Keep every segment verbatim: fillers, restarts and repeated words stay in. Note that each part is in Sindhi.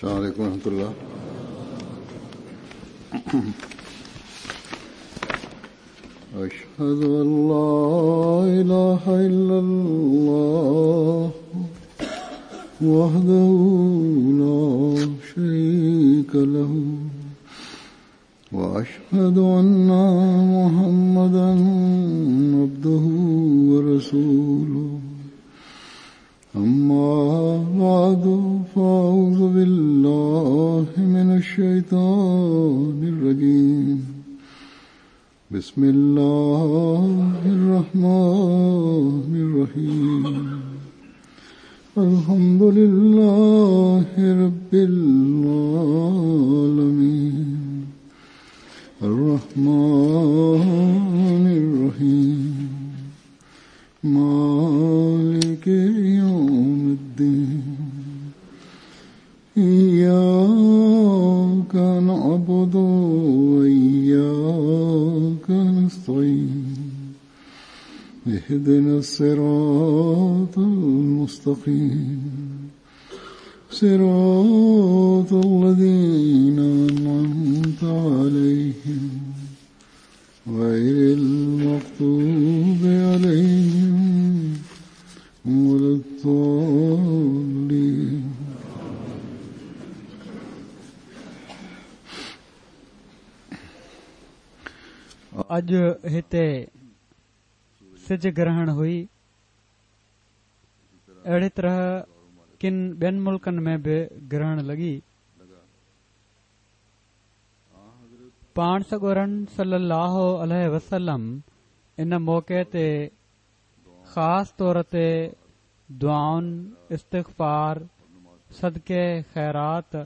السلام عليكم ورحمة الله. أشهد أن لا إله إلا الله وحده لا شريك له وأشهد أن محمدا عبده ورسوله. أما بعد فأعوذ بالله من الشيطان الرجيم. بسم الله الرحمن الرحيم. الحمد لله رب العالمين الرحمن الرحيم مالك يوم الدين. إياك نعبد وإياك نستعين. اهدنا الصراط المستقيم صراط الذين أنعمت عليهم غير المغضوب عليهم ولا الضالين. اڄ هتي سج گرهڻ هئي. اهڙي طرح ڪن ٻين ملڪن ۾ به گرهڻ لڳي. پاڻ سڳورن صلي الله عليه وسلم ان موقعي تي خاص طور تي دعائن، استغفار، صدقي، خيرات ۽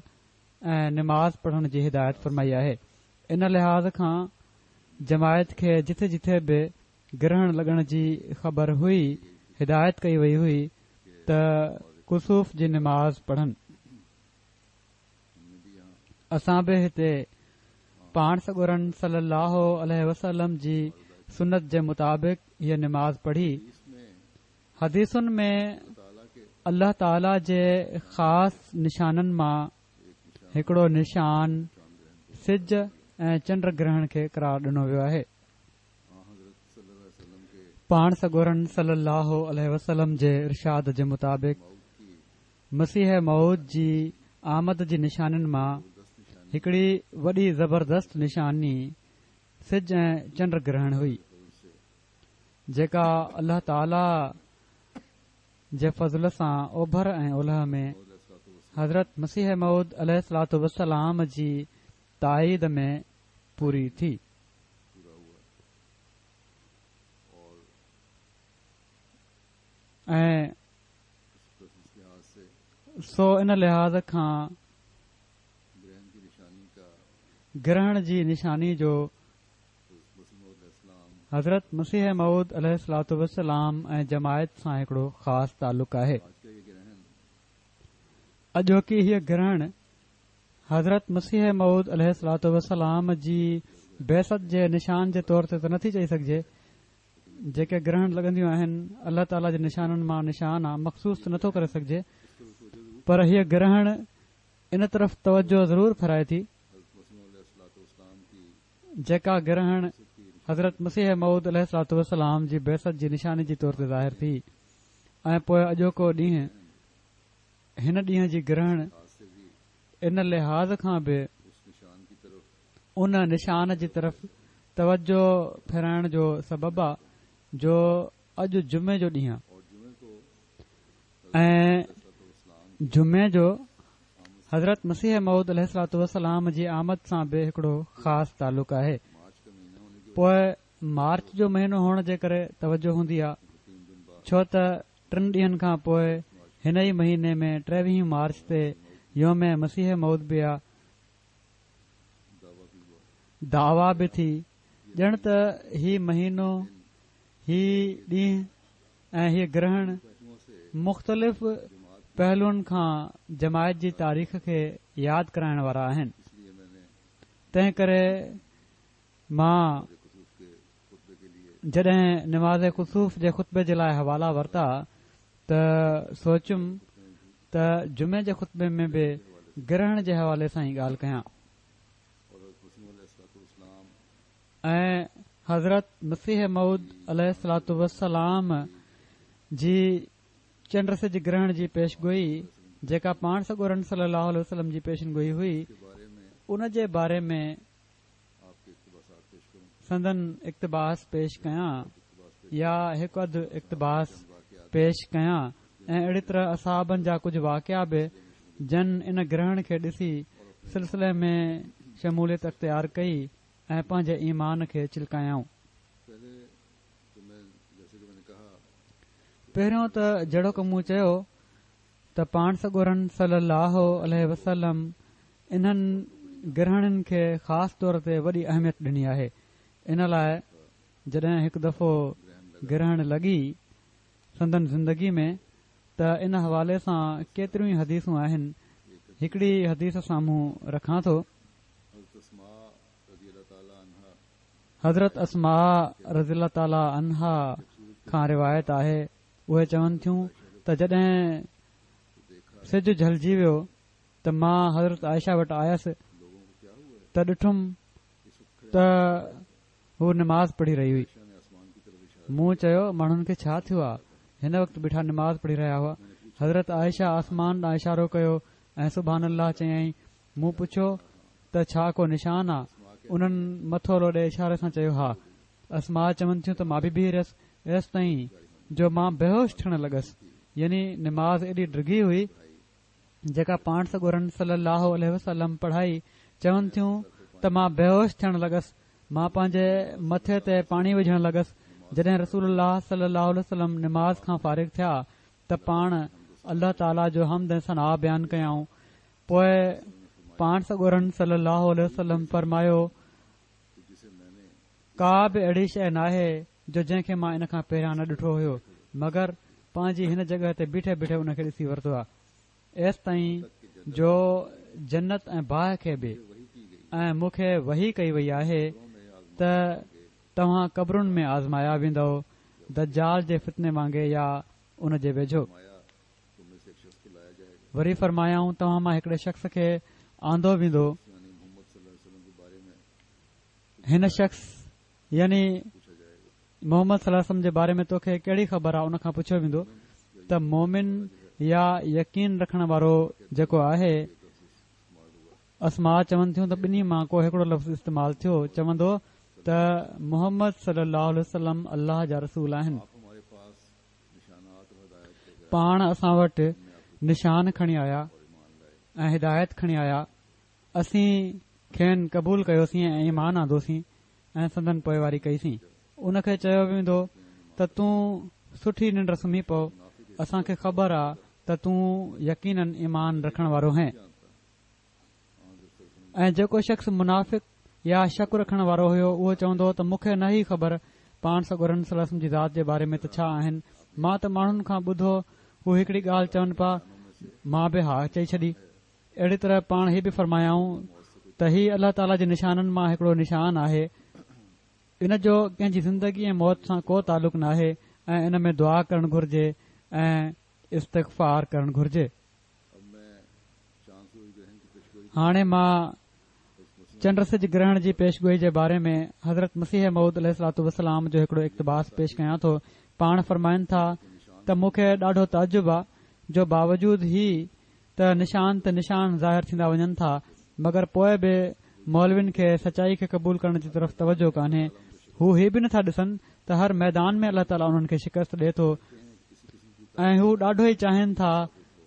نماز پڙهڻ جي هدايت فرمائي آهي. ان لحاظ کان جماعت کي جٿي جٿي به گرهڻ لڳڻ جي خبر هئي، هدايت ڪئي وئي هئي ته ڪسوف جي نماز پڙهن. اسان به هتي پاڻ سڳورن صلي الله عليه وسلم جي سنت جي مطابق هيء نماز پڙهي. حديثن ۾ الله تعاليٰ جي خاص نشانن مان هڪڙو نشان سج ۽ چنڊ گرهڻ کي قرار ڏنو ويو آهي. پاڻ سڳورن صلي الله عليه وسلم جي ارشاد جي مطابق مسيح موعود جي آمد جي نشانين مان هڪڙي وڏي زبردست نشاني سج ۽ چنڊ گرهڻ هئي، جيڪا الله تعاليٰ جي فضل سان اوڀر ۽ اولهه ۾ حضرت مسيح موعود عليه الصلوة والسلام جي تائيد ۾ پوري ٿي. ۽ سو ان لحاظ کان گرهڻ جي نشاني جو حضرت مسيح موعود عليه الصلوة والسلام ۽ جماعت سان هڪڙو خاص تعلق آهي. اڄوڪي هيء گرهڻ حضرت مسيح موعود عليه الصلوة والسلام جي بعثت جي نشان جي طور تي ته نٿي چئي سگهجي. جيڪي گرهڻ لڳنديون آهن الله تعاليٰ جي نشانن مان نشان آ، مخصوص ته نٿو ڪري سگهجي، پر هيء گرهڻ ان طرف توجه ضرور ڦرائي ٿي. جيڪا گرهڻ حضرت مسيح موعود عليه الصلوة والسلام جي بعثت جي نشاني جي طور تي ظاهر ٿي ۽ پوء اڄوڪو ڏينهن هن ڏينهن جي گرهڻ ان لحاظ کان به ان نشان جي طرف توجه ڦيرائڻ جو سبب آ جو اڄ جمعي جو ڏينهن آ ۽ جمعي جو حضرت مسيح موعود عليه الصلوة والسلام جي آمد سان به هڪڙو خاص تعلق آهي. پوء مارچ جو مهينو هئڻ جي ڪري توجه هوندي آ، ڇو ته ٽن ڏينهن کان پوء هن ئي مهيني ۾ ٽيويهه مارچ تي يوم مسيح موعود به آ. دعويٰ به ٿي، ڄڻ ته هي مهينو، هي ڏينهن ۽ هيء گرهڻ مختلف پهلوئن کان جماعت جي تاريخ کي ياد ڪرائڻ وارا آهن. تنهن ڪري مان جڏهن نماز ڪسوف جي خطبي جي لاءِ حوالا ورتا ته سوچيم ته جمعي جي خطبي ۾ به گرهڻ جي حوالي سان ئي ڳالهه ڪيان. ۽ حضرت مسيح موعود عليه الصلوة والسلام جي چنڊ سج گرهڻ جي پيشگوئي جيڪا پاڻ سڳورن صلي الله عليه وسلم جي پيشنگوئي هئي ان جي باري ۾ سندن اقتباس پيش ڪيان يا هڪ اڌ اقتباس پيش ڪيان ۽ اهڙي طرح اصحابن جا ڪجهه واقعا به جن ان گرهڻ کي ڏسي سلسلي ۾ شموليت اختيار ڪئي ۽ پنهنجي ايمان کي چلڪايائون. پهريون ته جهڙوڪ مون چيو ته پاڻ سڳورن صلي الله عليه وسلم انهن گرهڻن کي خاص طور تي وڏي اهميت ڏني آهي. ان لاء جڏهن هڪ دفعو گرهڻ لڳي سندن زندگي ۾ ته ان حوالي سان ڪيتريون ئي حديثون آهن. هڪڙي حديث سامهون رکان ٿو. حضرت اسماء رضي الله تعالٰي عنها کان روايت آهي، اهي چون ٿيون ته جڏهن سج جهلجي ويو ته مان حضرت عائشه وٽ آيس ته ڏٺم ته هو نماز پڙهي رهي هئي. مون چيو، ماڻهن کي ڇا ٿيو آهي؟ هن وقت بيٺا نماز پڙهي رهيا هئا. حضرت عائشه آسمان ڏانهن اشارو ڪيو ۽ سبحان الله چيائين. مون پڇيو ته ڇا ڪو نشان آ؟ انهن مٿو لوڏي اشاري سان چيو ها. اسماء چون ٿيون ته مان به بيهي رهيس ايستائين جو مان بيهوش ٿيڻ لڳس، يعني نماز ايڏي ڊگهي هئي جيڪا پاڻ سڳورن صلي الله عليه وسلم پڙهائي. چون ٿيون ته مان بيهوش ٿيڻ لڳس، مان پنهنجي مٿي تي پاڻي وجهڻ لڳس. جڏهن رسول الله صلي الله عليه وسلم نماز کان فارغ ٿيا ته پاڻ الله تعاليٰ جو حمد ۽ ثنا بيان ڪيائون. پوءِ پاڻ سڳورن صلي الله عليه وسلم فرمايو، ڪا به اهڙي شيءِ ناهي جو جنهن کي مان ان کان پهريان نه ڏٺو هيو، مگر پنهنجي هن جڳهه تي بيٺي بيٺي ان کي ڏسي ورتو آهي، ايستائين جو جنت ۽ باهه کي به، ۽ مون کي وحي ڪئي وئي آهي ته توهان قبرن ۾ آزمايا ويندؤ، دجال جي فتني وانگي يا ان جي ويجهو. وري فرمايائون، توهان مان هڪڙي شخص کي آندو ويندو، هن شخص يعني محمد صلي الله عليه وسلم جي باري ۾ توکي ڪهڙي خبر آهي؟ ان کان پڇيو ويندو ته مومن يا يقين رکڻ وارو جيڪو آهي. اسماء چون ٿيون ته ٻنهي مان ڪو هڪڙو لفظ استعمال ٿيو، چوندو ته محمد صلي الله عليه وسلم الله جا رسول آهن، پاڻ اسان وٽ نشان کڻي آيا ۽ هدايت کڻي آيا، اسين کين قبول ڪيوسين ۽ ايمان آندوسين ۽ سندن پوئواري ڪئيسين. ان کي چيو ويندو ته تون سٺي ننڊ سمهي پئو، اسان کي خبر آ ته تون يقينن ايمان رکڻ وارو هين. ۽ جيڪو شخص منافق يا شڪ رکڻ وارو هيو اهو چوندو ته مون کي نه ئي خبر پاڻ سڳورن صلي الله عليه وسلم جي ذات جي باري ۾ ته ڇا آهن، مان ته ماڻهن کان ٻڌو هو هڪڙي ڳالهه چون پيا، مان به ها چئي ڇڏي. اهڙي طرح پاڻ هي به فرمايائون ته هي الله تعاليٰ جي نشانن مان هڪڙو نشان آهي، ان جو ڪنهن جي زندگي ۽ موت سان ڪو تعلق ناهي ۽ ان ۾ دعا ڪرڻ گهرجي ۽ استغفار ڪرڻ گهرجي. هاڻي مان چنڊ سج گرهڻ جي پيشگوئي جي باري ۾ حضرت مسيح موعود عليه الصلوة والسلام جو هڪڙو اقتباس پيش ڪيان ٿو. پاڻ فرمائن ٿا ته مون کي ڏاڍو تعجب آ جو باوجود هي ته نشان تي نشان ظاهر ٿيندا وڃن ٿا، مگر پوءِ به مولوين کي سچائي کي قبول ڪرڻ جي طرف توجه ڪانهي. هو هي به نٿا ڏسن ته هر ميدان ۾ الله تعاليٰ انهن کي شڪست ڏئي ٿو ۽ هو ڏاڍو ئي چاهين ٿا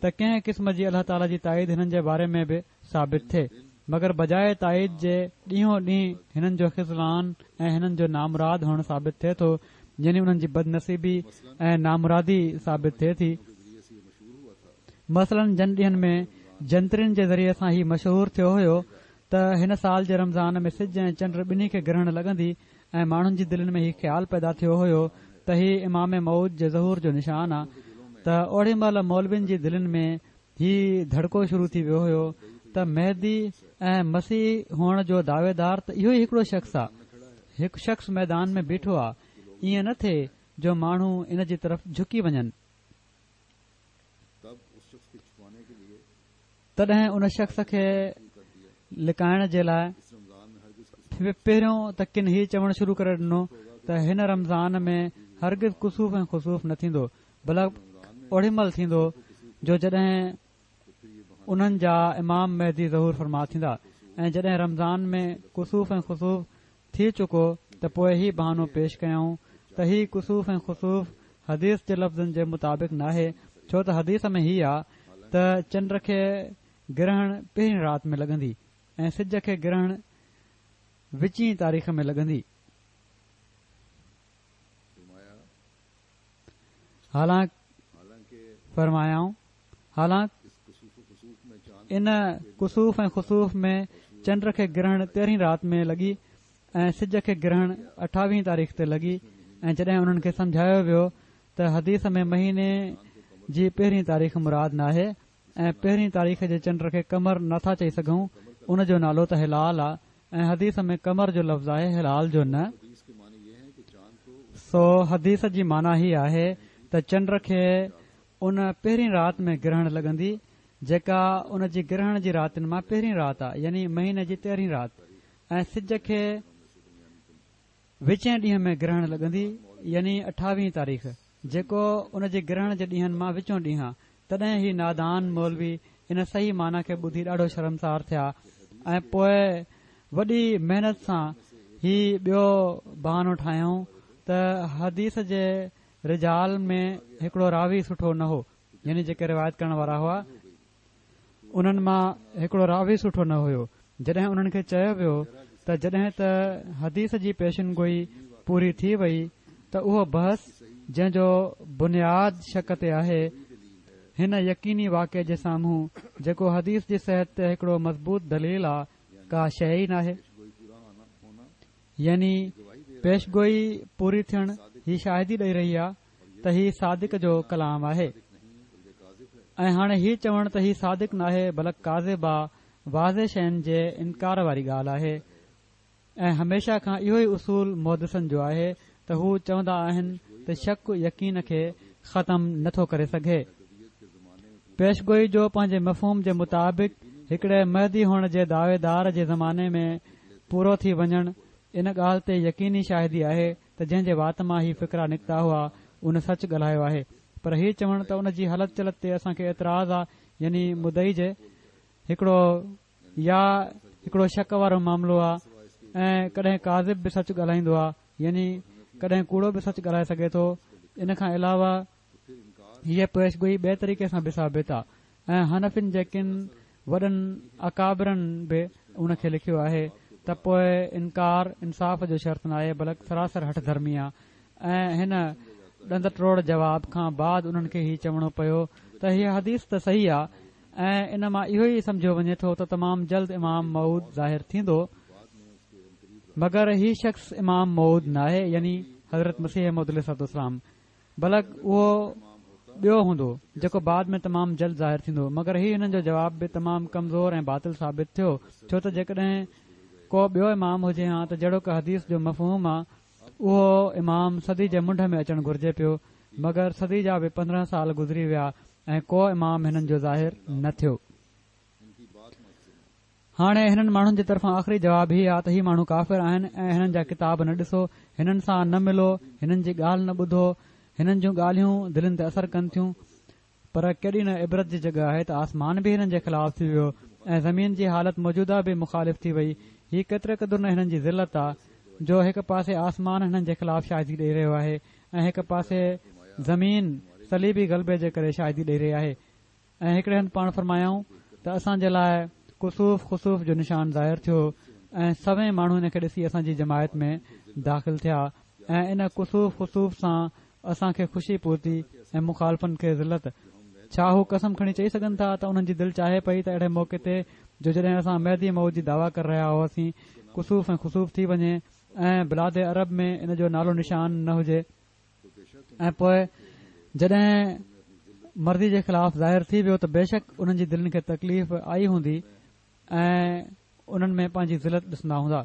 ته ڪنهن قسم جي الله تعاليٰ جي تائيد هنن جي باري ۾ به ثابت ٿئي، مگر بجاءِ تائيد جي ڏينهون ڏينهن هنن جو خذلان ۽ هنن جو نامراد هئڻ ثابت ٿئي ٿو، يعني انهن جي بدنصيبي ۽ نامرادي ثابت ٿئي ٿي. مثلاً جن ڏينهن ۾ جنترين جي ذريعي سان هي مشهور ٿيو هيو ته هن سال جي رمضان ۾ سج ۽ چنڊ ٻنهي کي گرهڻ لڳندي ۽ ماڻهن جي دلين ۾ هي خيال پيدا ٿيو هيو ته هي امام موعود جي ظهور جو نشان آ، ته اوڙي مهل مولوين جي دلين ۾ هي ڌڙڪو شروع ٿي ويو هيو ته مهدي ۽ مسيح هئڻ جو دعويدار ته اهو ئي هڪڙو شخص آ، هڪ شخص ميدان ۾ بيٺو آ، ائين نه ٿئي جو ماڻهو ان جي طرف جهڪي وڃن. تڏهن ان شخص کي لڪائڻ جي لاءِ پهريون ته ڪن هي چوڻ شروع ڪري ڏنو ته هن رمضان ۾ هرگز ڪسوف ۽ خسوف نه ٿيندو، بلڪ اوڏي مهل ٿيندو جو جڏهن انهن جا امام مهدي ظهور فرما ٿيندا، ۽ جڏهن رمضان ۾ ڪسوف ۽ خسوف ٿي چڪو ته پوءِ هي بهانو پيش ڪيائون ته هي ڪسوف ۽ خسوف حديث جي لفظن جي مطابق ناهي، ڇو ته حديث ۾ هي آ ته چنڊ کي گرهڻ پهرين رات ۾ لڳندي ۽ سج کي گرهڻ وچين تاريخ ۾ لڳندي. حالانڪ فرمايائون حالانڪ ان ڪسوف ۽ خسوف ۾ چنڊ کي گرهڻ تيرهين رات ۾ لڳي ۽ سج کي گرهڻ اٺاويهين تاريخ تي لڳي. ۽ جڏهن انهن کي سمجهايو ويو ته حديث ۾ مهيني جي پهرين تاريخ مراد ناهي ۽ پهرين تاريخ جي چنڊ کي قمر نٿا چئي سگهون، ان جو نالو ته هلال آ ۽ حديث ۾ قمر جو لفظ آهي هلال جو نه. سو حديث جي معنيٰ هي آهي ته چنڊ کي ان پهرين رات ۾ گرهڻ لڳندي جيڪا ان جي گرهڻ جي راتن مان پهرين رات آ، يعني مهيني جي تيرهين رات، ۽ سج کي وچين ڏينهن ۾ گرهڻ لڳندي، يعني اٺاويهين تاريخ، جيڪو ان جي گرهڻ جي ڏينهن مان وچون ڏينهن آ. تڏهن هي نادان مولوي ان صحيح معنيٰ کي ٻڌي ڏاڍو شرمسار ٿيا ۽ پوءِ وڏي محنت سان هي ٻيو بهانو ٺاهيائون ته حديث جي رجال ۾ هڪڙو راوي سٺو نه هو، يعني جيڪي روايت ڪرڻ وارا هئا انهن مان هڪڙو راوي سٺو نه هيو. جڏهن انهن کي چيو ويو ته جڏهن ته حديث جي پيشن گوئي پوري ٿي وئي ته اهو بحث جنهن جو بنياد شڪ تي آهي، هن يقيني واقعي جي سامهون جيڪو حديث جي صحت تي هڪڙو مضبوط دليل آ، ڪا شيءِ ئي ناهي. يعني پيشگوئي پوري ٿيڻ هي شاهدي ڏئي رهي آ ته هي صادق جو ڪلام آهي، ۽ هاڻي هي چوڻ ته هي صادق ناهي بلڪ ڪاذب آ، واضح شين جي انڪار واري ڳالهه آهي. ۽ هميشه کان اهو ئي اصول محدثن جو آهي ته هو چوندا آهن ته شڪ يقين کي ختم نٿو ڪري سگهي. پيشگوئي جو پنهنجي مفهوم جي مطابق هڪڙي مهدي هئڻ جي دعويدار جي زماني ۾ پورو ٿي وڃڻ ان ڳالهه تي يقيني شاهدي آهي ته جنهن جي وات مان هي فقرا نڪتا هئا ان سچ ڳالهايو آهي. پر هي چوڻ ته ان جي هلت چلت تي اسان کي اعتراض آ، يعني مدعي جي هڪڙو يا هڪڙو شڪ وارو معاملو آ، ۽ ڪڏهن ڪاذب به سچ ڳالهائيندو آ، يعني ڪڏهن ڪوڙو به سچ ڳالهائي سگهي ٿو. ان کان علاوه هيءَ پيشگوئي ٻئي طريقي سان به ثابت آ، ۽ حنفين جي ڪن وڏن اڪابرن به ان کي لکيو آهي ته پوءِ انڪار انصاف جو شرط ناهي بلڪ سراسر هٺ ڌرمي آ. ۽ هن ڏند ٽوڙ جواب کان بعد انهن کي هي چوڻو پيو ته هيءَ حديث ته صحيح آ ۽ ان مان اهو ئي سمجهيو وڃي ٿو ته تمام جلد امام موعود ظاهر ٿيندو، مگر هي شخص امام موعود ناهي، يعني حضرت مسيح موعود عليه الصلوة والسلام، بلڪ اهو ٻيو هوندو جيڪو بعد ۾ تمام جلد ظاهر ٿيندو. مگر هي هنن جو جواب به تمام ڪمزور ۽ باطل ثابت ٿيو، ڇو ته جيڪڏهن ڪو ٻيو امام هجي ها ته جهڙوڪ حديث جو مفهوم آ اهو امام صدي جي منڍ ۾ اچڻ گهرجي پيو، مگر صدي جا به پندرهن سال گذري ويا ۽ ڪو امام هنن جو ظاهر نه ٿيو. هاڻي هنن ماڻهن جي طرفان آخري جواب هي آ ته هي ماڻهو ڪافر آهن ۽ هنن جا ڪتاب نه ڏسو، هنن سان نه ملو، هنن جي ڳالهه نه ٻڌو، هنن جون ڳالهيون دلن تي اثر ڪن ٿيون. پر ڪيڏي نه عبرت جي جڳهه آهي ته آسمان به هنن جي خلاف ٿي ويو ۽ زمين جي حالت موجوده به مخالف ٿي وئي. هي ڪيتري قدر نه هنن جي ذلت آ جو هڪ پاسي آسمان هنن جي خلاف شاهدي ڏئي رهيو آهي ۽ هڪ پاسي زمين صليبي غلبي جي ڪري شاهدي ڏئي رهي آهي. ۽ هڪڙي هنڌ پاڻ فرمايائون ته اسان جي لاءِ ڪسوف خسوف جو نشان ظاهر ٿيو ۽ سوين ماڻهو هن کي ڏسي اسان جي جماعت ۾ داخل ٿيا ۽ ان ڪسوف خسوف سان اسان کي خوشي پهتي ۽ مخالفن کي ذلت. ڇا هو قسم کڻي چئي سگهن ٿا ته انهن جي دل چاهي پئي ته اهڙي موقعي تي جو جڏهن اسان مهدي موعود جي دعويٰ ڪري رهيا هئاسين ڪسوف ۽ خسوف ٿي وڃي ۽ بلاد عرب ۾ ان جو نالو نشان نه هجي، ۽ پوءِ جڏهن مرضي جي خلاف ظاهر ٿي ويو ته بيشڪ انهن جي دلن کي تڪليف آئي هوندي ۽ انهن ۾ پنهنجي ذلت ڏسندا هوندا.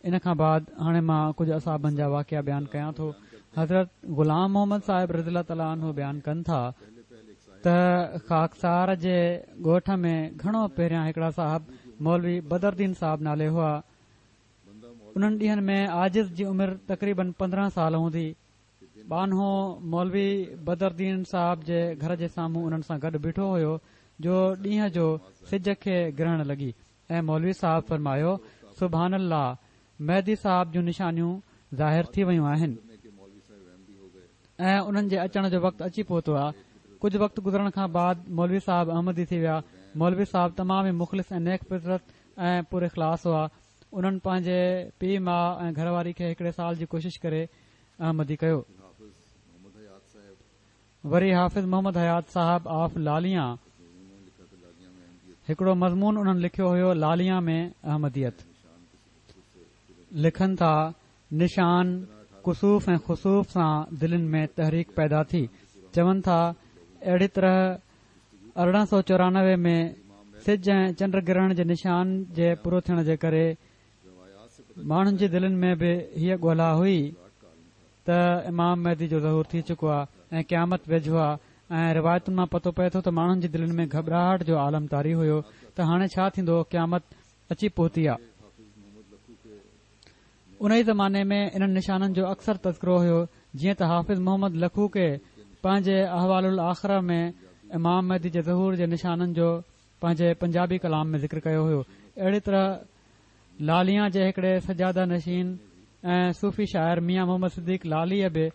ان کان بعد هاڻي مان ڪجهه اصحابن جا واقعا بيان ڪيان ٿو. حضرت غلام محمد صاحب رضي الله تعاليٰ عنه بيان ڪن ٿا ته خاڪسار جي ڳوٺ ۾ گهڻو پهريان هڪڙا صاحب مولوي بدردين صاحب نالي هئا. انهن ڏينهن ۾ عاجز جي عمر تقريبن پندرهن سال هوندي. ٻانهو مولوي بدردين صاحب جي گهر جي سامهون انهن سان گڏ بيٺو هيو جو ڏينهن جو سج کي گرهڻ لڳي ۽ مولوي صاحب فرمايو، سبحان الله، مهدي صاحب جون نشانيون ظاهر ٿي ويون آهن ۽ انهن جي اچڻ جو وقت اچي پهتو آهي. ڪجهه وقت گذرڻ کان بعد مولوي صاحب احمدي ٿي ويا. مولوي صاحب تمام ئي مخلص ۽ نيڪ فطرت ۽ پر اخلاص هئا. انهن پنهنجي پيء ماءُ ۽ گهر واري کي هڪڙي سال جي ڪوشش ڪري احمدي ڪيو. وري حافظ محمد حيات صاحب آف لاليان هڪڙو مضمون انهن لکيو هيو لاليان ۾ احمديت. لکن ٿا، نشان ڪسوف ۽ خسوف سان دلين ۾ تحريڪ پيدا ٿي. چون ٿا، اهڙي طرح ارڙهن سؤ چورانوي ۾ سج ۽ چنڊ گرهڻ جي نشان جي پورو ٿيڻ جي ڪري ماڻهن جي دلين ۾ به هيءَ ڳولا هئي ته امام مهدي جو ظهور ٿي چڪو آهي ۽ قيامت ويجهو آهي ۽ روايتن مان پتو پئي ٿو ته ماڻهن جي دلين ۾ گهٻراهٽ جو عالم طاري هيو ته هاڻي ڇا ٿيندو، قيامت اچي پهتي آهي. ان ئي زماني ۾ انهن نشانن جو اڪثر تذڪرو هيو، جيئن ته حافظ محمد لکوڪي پنهنجي احوال الاخره ۾ امام مهدي جي ظهور جي نشانن جو پنهنجي پنجابي ڪلام ۾ ذڪر ڪيو هيو. اهڙي طرح لاليان جي هڪڙي سجاده نشين ۽ صوفي شاعر ميان محمد صديق لاليءَ به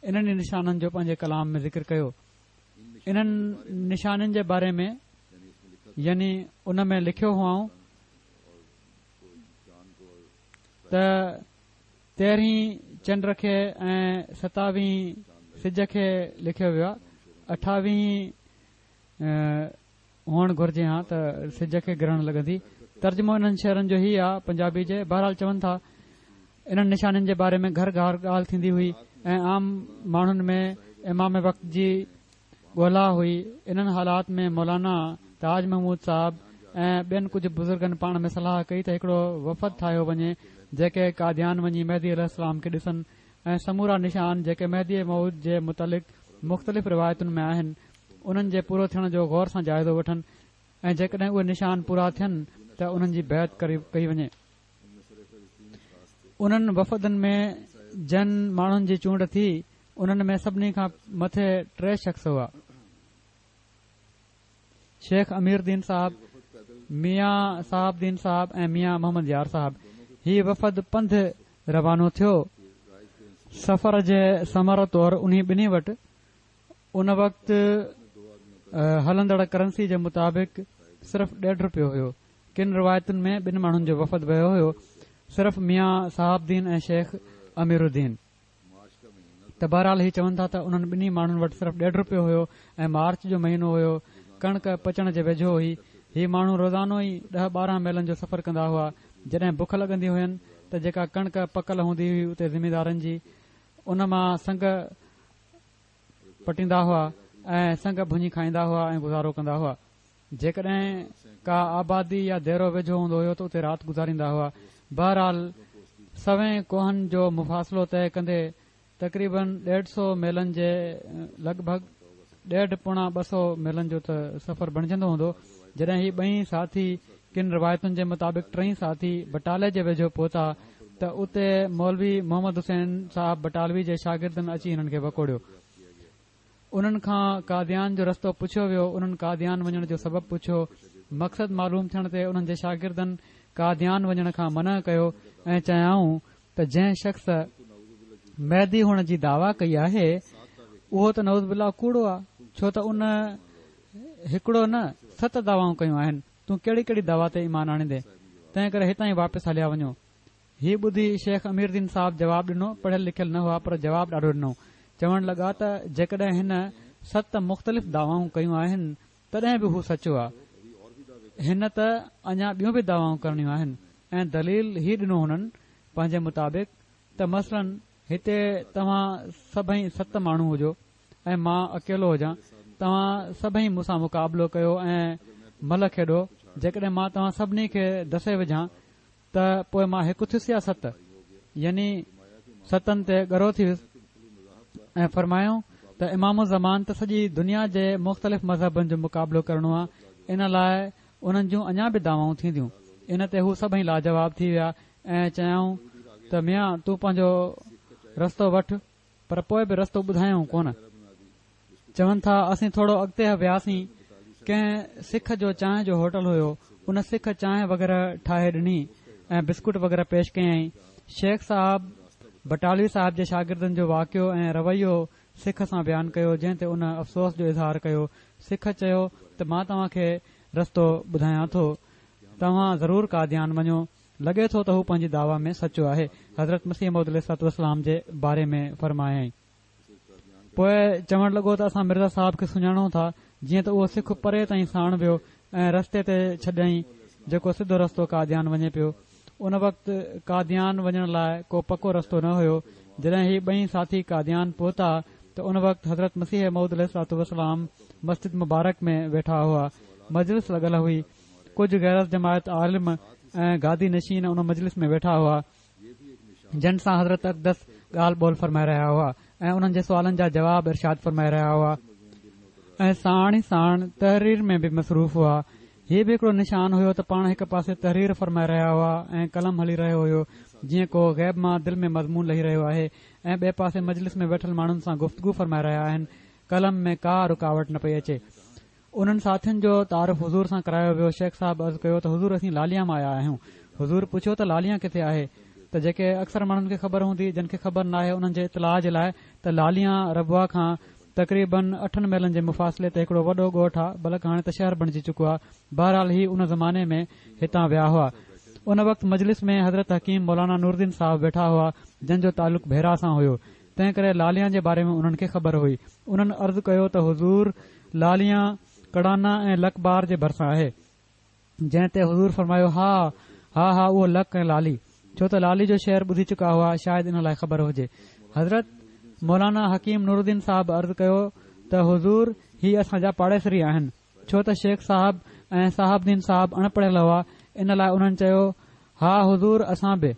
انهن ئي نشانن جو پنهنجي ڪلام ۾ ذڪر ڪيو. انهن نشانين جي باري ۾ يعني ان ۾ لکيو هئائون ته تيرهين چنڊ کي ۽ ستاويهين سج کي لکيو ويو آهي، اٺاويهين هئڻ گهرجي ها ته سج کي گرهڻ لڳندي. ترجمو انهن شعرن جو هي آهي پنجابي جي. بهرحال چون ٿا، انهن نشانين جي باري ۾ گهر گهر ڳالهه ٿيندي هئي ۽ عام ماڻهن ۾ امام وقت جي ڳولا هئي. انهن حالات ۾ مولانا تاج محمود صاحب ۽ ٻين ڪجهه بزرگن پاڻ ۾ صلاح ڪئي ته هڪڙو وفد ٺاهيو وڃي جيڪي قاديان وڃي مهدي عليه السلام کي ڏسن ۽ سمورا نشان جيڪي مهدي موعود جي متعلق مختلف روايتن ۾ آهن انهن جي پورو ٿيڻ جو غور سان جائزو وٺن ۽ جيڪڏهن اهي نشان پورا ٿين ته انهن جي بيعت ڪئي وڃي. انهن وفدن ۾ جن ماڻهن جي چونڊ ٿي انهن ۾ سڀني کان مٿي ٽي شخص هئا، شيخ امير دين صاحب، ميان صاحب دين صاحب ۽ ميان محمد يار صاحب. هي وفد پنڌ روانو ٿيو. سفر جي ثمر طور انهي ٻنهي وٽ ان وقت هلندڙ ڪرنسي جي مطابق صرف ڏيڍ رپيو هيو. ڪن روايتن ۾ ٻن ماڻهن جو وفد ويو هيو، صرف ميان صاحب دين ۽ شيخ امير الدين. ته بهرحال هي چون ٿا ته انهن ٻنهي ماڻهن وٽ صرف ڏيڍ رپيو هيو ۽ مارچ جو مهينو هيو، ڪڻڪ پچڻ جي ويجهو هئي. هي ماڻهو روزانو ئي ڏهه ٻارهن ميلن جو سفر ڪندا هئا. جڏهن بک لڳندي هين ته جيڪا ڪڻڪ پڪل هوندي هئي اتي زميندارن جي، ان مان سنگ پٽيندا هئا ۽ سنگ ڀڃي کائيندا هئا ۽ گذارو ڪندا هئا. جيڪڏهن ڪا آبادي يا ديرو ويجهو هوندو هيو ته اتي رات گذاريندا هئا. بهرحال سوين ڪوهن جو مفاصلو طئي ڪندي تقريبن ڏيڍ سؤ ميلن جي لڳ ڀڳ ڏيڍ پوڻا ٻه سؤ ميلن جو ته سفر بڻجندو هوندو. جڏهن هي ٻئي ساٿي ڪن روايتن جي مطابق ٽئي ساٿي بٽالي جي ويجهو پهتا ته اتي مولوي محمد حسين صاحب بٽالوي جي شاگردن اچي هنن کي وڪوڙيو. انهن کان قاديان جو رستو پڇيو ويو. انهن قاديان وڃڻ جو سبب پڇيو. مقصد معلوم ٿيڻ تي انهن جي شاگردن قاديان وڃڻ کان منع ڪيو ۽ چيائون ته جنهن شخص مهدي هئڻ جي دعويٰ ڪئي آهي اهو ته نعوذ بالله ڪوڙو آهي، ڇو ته ان هڪڙو نه ست دعوائون ڪيون آهن، تون ڪهڙي ڪهڙي دعويٰ تي ايمان آڻيندين؟ تنهن ڪري هتان ئي واپس هليا وڃو. هي ٻڌي شيخ امير دين صاحب جواب ڏنو. پڙهيل لکيل نه هئا پر جواب ڏاڍو ڏنو. چوڻ لڳا ته جيڪڏهن هن ست مختلف دعوائون ڪيون آهن تڏهن به هو سچو آهي، هن ته اڃا ٻيون به دعوائون ڪرڻيون آهن. ۽ دليل هي ڏنو هنن پنهنجي مطابق ته مثلاً هتي توهان سڀئي ست ماڻهو هجو ۽ مان اڪيلو هجان، توهان سڀئي مون سان مقابلو ڪيو ۽ ملهه کيڏو، جيڪڏهن مان توهان سڀني کي دسي وجهان ته پوءِ مان هڪ ٿيس يا ست، يعني ستن تي ڳرو ٿي ويس. ۽ فرمايو ته امام الزمان ته سڄي دنيا جي مختلف مذهبن جو مقابلو ڪرڻو آهي، ان لاء انهن جون اڃا به دعوائون ٿينديون. ان تي هو سڀئي لاجواب ٿي ويا ۽ چيائون ته ميان تون پنهنجو رستو وٺ، پر پوءِ به رستو ٻڌايائون ڪونه. چون ٿا اسين ٿورو اڳتي وياسين، ڪنهن سک جو چانهه جو هوٽل هيو، ان سک چانهه وغيره ٺاهي ڏني ۽ بسڪوٽ وغيره پيش ڪيائين. شيخ صاحب بٽالوي صاحب جي شاگردن جو واقعو ۽ رويو سک سان بيان ڪيو، جنهن تي ان افسوس جو اظهار ڪيو. سک چيو ته مان توهان کي رستو ٻڌايان ٿو، توهان ضرور قاديان وڃو، لڳي ٿو ته هو پنهنجي دعويٰ ۾ سچو آهي. حضرت مسيح موعود عليه الصلوة والسلام جي باري ۾ فرمايائين. پوءِ چوڻ لڳو ته اسان مرزا صاحب کي سڃاڻون ٿا، جيئن ته اهو سک پري تائين ساڻ ويو ۽ رستي تي ڇڏيائين جيڪو سڌو رستو قاديان وڃي پيو. ان وقت قاديان وڃڻ لاءِ ڪو پڪو رستو نه هيو. جڏهن هي ٻئي ساٿي قاديان پهتا ته ان وقت حضرت مسيح موعود عليه الصلوة والسلام مسجد مبارڪ ۾ ويٺا هئا. مجلس لڳل هئي. ڪجهه غير جماعت عالم ۽ گادي نشين ان مجلس ۾ ويٺا هئا، جن سان حضرت اقدس ڳالهه ٻولهه فرمائي رهيا هئا ۽ انهن جي سوالن جا جواب ارشاد فرمائي رهيا هئا ۽ ساڻ ئي ساڻ تحرير ۾ به مصروف هئا. هي به هڪڙو نشان هيو ته پاڻ هڪ پاسي تحرير فرمائي رهيا هئا ۽ قلم هلي رهيو هيو، جيئن ڪو غيب مان دل ۾ مضمون لهي رهيو آهي، ۽ ٻئي پاسي مجلس ۾ ويٺل ماڻهن سان گفتگو فرمائي رهيا آهن. قلم ۾ ڪا رڪاوٽ نه پئي اچي. انهن ساٿين جو تعارف حضور سان ڪرايو ويو. شيخ صاحب عرض ڪيو ته حضور اسين لاليان مان آيا آهيون. حضور پڇيو ته لاليان ڪٿي آهي؟ ته جيڪي اڪثر ماڻهن کي خبر هوندي، جن کي خبر ناهي انهن جي اطلاع جي لاءِ ته لاليان ربوه کان تقريبن اٺن ميلن جي مفاصلي تي هڪڙو وڏو ڳوٺ آهي، بلڪ هاڻي ته شهر بڻجي چڪو آهي. بهرحال هي ان زماني ۾ هتان ويا هئا. ان وقت مجلس ۾ حضرت حڪيم مولانا نورالدين صاحب ويٺا هئا، جن جو تعلق ڀيرا سان هيو، تنهن ڪري لاليان جي باري ۾ انهن کي خبر هئي. انهن عرض ڪيو ته حضور لاليان ڪڙانا ۽ لڪبار جي ڀرسان آهي. جنهن تي حضور فرمايو ها ها ها اهو لڪ ۽ لالي، ڇو ته لالي جو شعر ٻڌي چڪا هئا، شايد ان لاءِ خبر هجي. حضرت مولانا حڪيم نورالدين صاحب عرض ڪيو ته حضور هي اسان جا پاڙيسري آهن. ڇو ته شيخ صاحب ۽ صاحب دين صاحب اڻ پڙهيل هئا، ان لاءِ انهن چيو ها حضور اسان به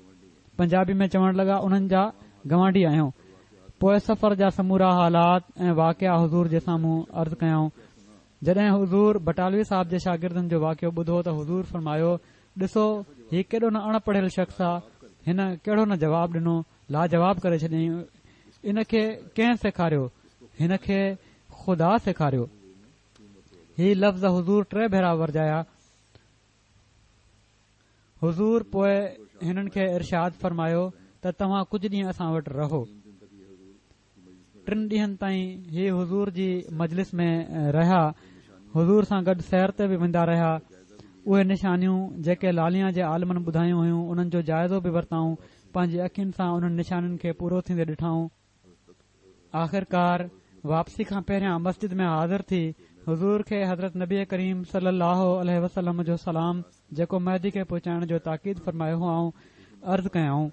پنجابي ۾ چوڻ لڳا انهن جا گوانڊي آهيون. پوءِ سفر جا سمورا حالات ۽ واقعا حضور جي سامهون عرض ڪيائون. جڏهن حضور بٽالوي صاحب جي شاگردن جو واقعو ٻڌو ته حضور فرمايو ڏسو هي ڪيڏو نه اڻ پڙهيل شخص آهي، هن ڪهڙو نه جواب ڏنو، لاجواب ڪري ڇڏيائين. ان کي ڪنهن سيکاريو؟ هن کي خدا سيکاريو. هي لفظ حضور ٽي ڀيرا ورجايا. حضور پوءِ هنن کي ارشاد فرمايو ته توهان ڪجهه ڏينهن اسان وٽ رهو. ٽن ڏينهن تائين هي حضور جي مجلس ۾ رهيا. حضور سان گڏ سير تي به ويندا رهيا. اهي نشانيون جيڪي لاليان جي عالمن ٻڌايون هيون انهن جو جائزو به ورتائون. پنهنجي اکين سان انهن نشانين کي پورو ٿيندي ڏٺائون. آخرڪار واپسي کان پهريان مسجد ۾ حاضر ٿي حضور کي حضرت نبي ڪريم صلي الله عليه وسلم جو سلام، جيڪو مهدي کي پهچائڻ جو تاڪيد فرمايو هئائون، عرض ڪيائون.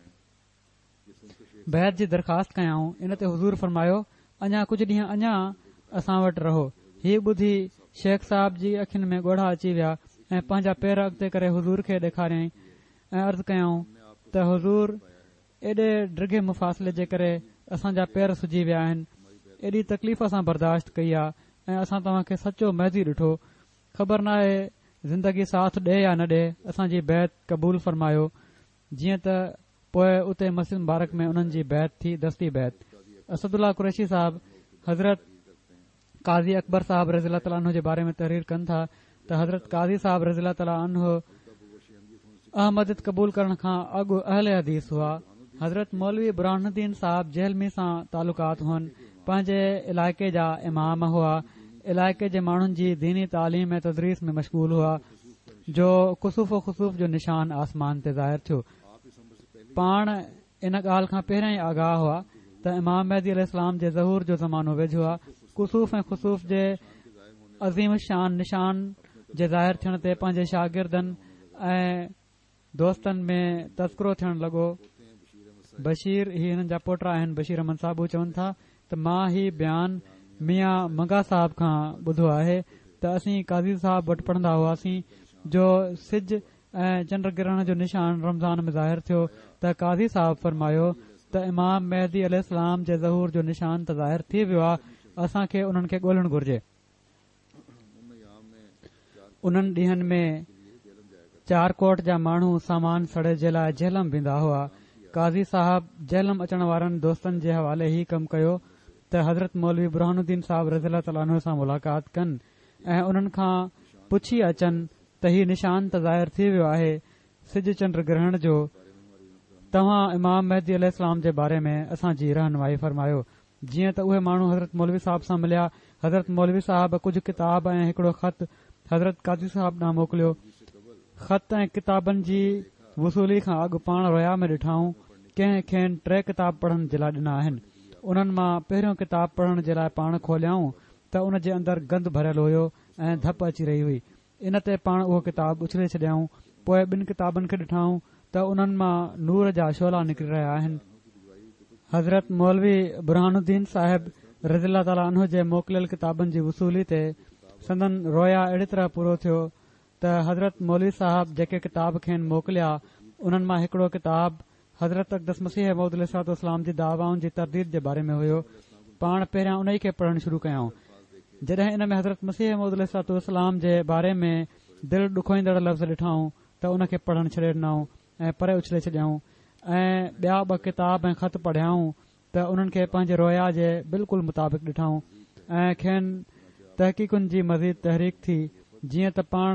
بيعت جي درخواست ڪيائون. ان تي حضور فرمايو اڃا ڪجهه ڏينهن اڃا اسان وٽ رهو. هي ٻڌي شيخ صاحب جي اکين ۾ ڳوڙها اچي ويا ۽ پنهنجا پير اڳتي ڪري حضور کي ڏيکاريائين ۽ عرض ڪيائون ته حضور ايڏي ڊگهي مفاصلي جي ڪري اسان جا پير سجي ويا آهن، ايڏي تڪليف اسان برداشت ڪئي آهي ۽ اسان توهان کي سچو مهدي ڏٺو. خبر ناهي زندگي ساٿ ڏي يا نه ڏي، اسان جي بيعت قبول فرمايو. جيئن ته پوءِ اتي مسجد مبارڪ ۾ انهن جي بيعت ٿي، دستي بيعت. اسدالله قريشي صاحب حضرت قاضي اڪبر صاحب رضي الله تعاليٰ عنه جي باري ۾ تحرير ڪن ٿا ته حضرت قاضي صاحب رضي الله تعاليٰ عنه احمديت قبول ڪرڻ کان اڳ اهل حديث هئا. حضرت مولوي برهان الدين صاحب جهلمي سان تعلقات هئن. پنهنجي علائقي جا امام هئا. علائقي جي ماڻهن جي ديني تعليم ۽ تدريس ۾ مشغول هئا، جو ڪسوف و خسوف جو نشان آسمان تي ظاهر ٿيو. پاڻ ان ڳالهه کان پهريان ئي آگاهه هئا ته امام مهدي عليه السلام جي ظهور جو زمانو ويجهو آهي. ڪسوف ۽ خسوف جي عظيم شان نشان جي ظاهر ٿيڻ تي پنهنجي شاگردن ۽ دوستن ۾ تذڪرو ٿيڻ لڳو. بشير هي هنن جا پوٽا آهن، بشير احمد صاحب چون ٿا ته مان هي بيان ميان منگا صاحب کان ٻڌو آهي ته اسين قاضي صاحب وٽ پڙهندا هئاسين، جو سج ۽ چنڊ گرهڻ جو نشان رمضان ۾ ظاهر ٿيو ته قاضي صاحب فرمايو ته امام مهدي عليه السلام جي ظهور جو نشان ته ظاهر ٿي ويو آهي، اسان کي انهن کي ڳولڻ گهرجي. انهن ڏينهن ۾ چارڪوٽ جا ماڻهو سامان سڙي جي لاءِ جهلم ويندا هئا. قاضي صاحب جهلم اچڻ وارن دوستن جي حوالي هي ڪم ڪيو ته حضرت مولوي برهان الدين صاحب رضي الله تعاليٰ عنه سان ملاقات ڪن ۽ انهن کان پڇي اچن ته هي نشان ته ظاهر ٿي ويو آهي سج چنڊ گرهڻ جو، توهان امام مهدي عليه السلام جي باري ۾ اسان جي رهنمائي فرمايو. جيئن ته اهي ماڻهو حضرت مولوي صاحب سان مليا. حضرت مولوي صاحب ڪجهه ڪتاب ۽ هڪڙو خط حضرت قاضي صاحب ڏانهن موڪليو. خط ۽ ڪتابن جي وصولي کان اڳ پاڻ رويا ۾ ڏٺائون ڪنهن کين ٽي ڪتاب پڙهڻ جي لاءِ ڏنا آهن. انهن مان پهريون ڪتاب پڙهڻ جي لاءِ پاڻ کوليائون ته ان جي اندر گند ڀريل هيو ۽ ڌپ اچي رهي هئي. ان تي پاڻ اهو ڪتاب اڇلي ڇڏيائون. پوءِ ٻن ڪتابن کي ڏٺائون ته انهن مان نور جا شعلا نڪري رهيا آهن. حضرت مولوي برهان الدين صاحب رضي الله تعاليٰ عنه جي موڪليل ڪتابن جي وصولي تي سندن رويا اهڙي طرح پورو ٿيو ته حضرت مولوي صاحب جيڪي ڪتاب کين موڪليا انهن مان هڪڙو ڪتاب حضرت اقدس مسيح موعود عليه الصلوة والسلام جي دعوائن جي ترديد جي باري ۾ هيو. پاڻ پهريان ان کي پڙهڻ شروع ڪيائون. جڏهن ان ۾ حضرت مسيح موعود عليه الصلوة والسلام جي باري ۾ دل ڏکوئيندڙ لفظ ڏٺائون ته ان کي پڙهڻ ڇڏي ڏنائون ۽ پري اڇلي ڇڏيائون ۽ ٻيا ٻه ڪتاب ۽ خط پڙهيائون ته انهن کي پنهنجي رويا جي بلڪل مطابق ڏٺائون ۽ کين تحقيقن جي مزيد تحريڪ ٿي. جيئن ته پاڻ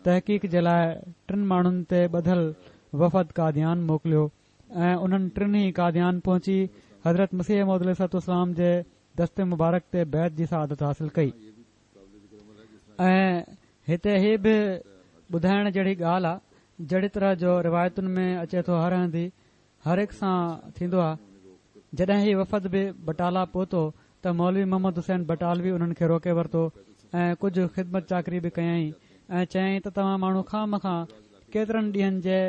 تحقيق جي لاءِ ٽن ماڻهن تي ٻڌل وفد قاديان موڪليو ۽ انهن ٽنهي قاديان پهچي حضرت مسيح موعود عليه الصلوة والسلام جي دست مبارڪ تي بيعت جي سعادت حاصل ڪئي. ۽ هتي هي به ٻڌائڻ جهڙي ڳالهه آهي، جهڙي طرح جو روايتن ۾ اچي ٿو هر هنڌ هر هڪ سان ٿيندو آهي. جڏهن هي وفد به بٽالا پهتو ته مولوي محمد حسين بٽالوي انهن کي روڪي ورتو ۽ ڪجهه خدمت چاڪري به ڪيائين ۽ چيائين ته توهان ماڻهو خوامخواه ڪيترن ڏينهن جي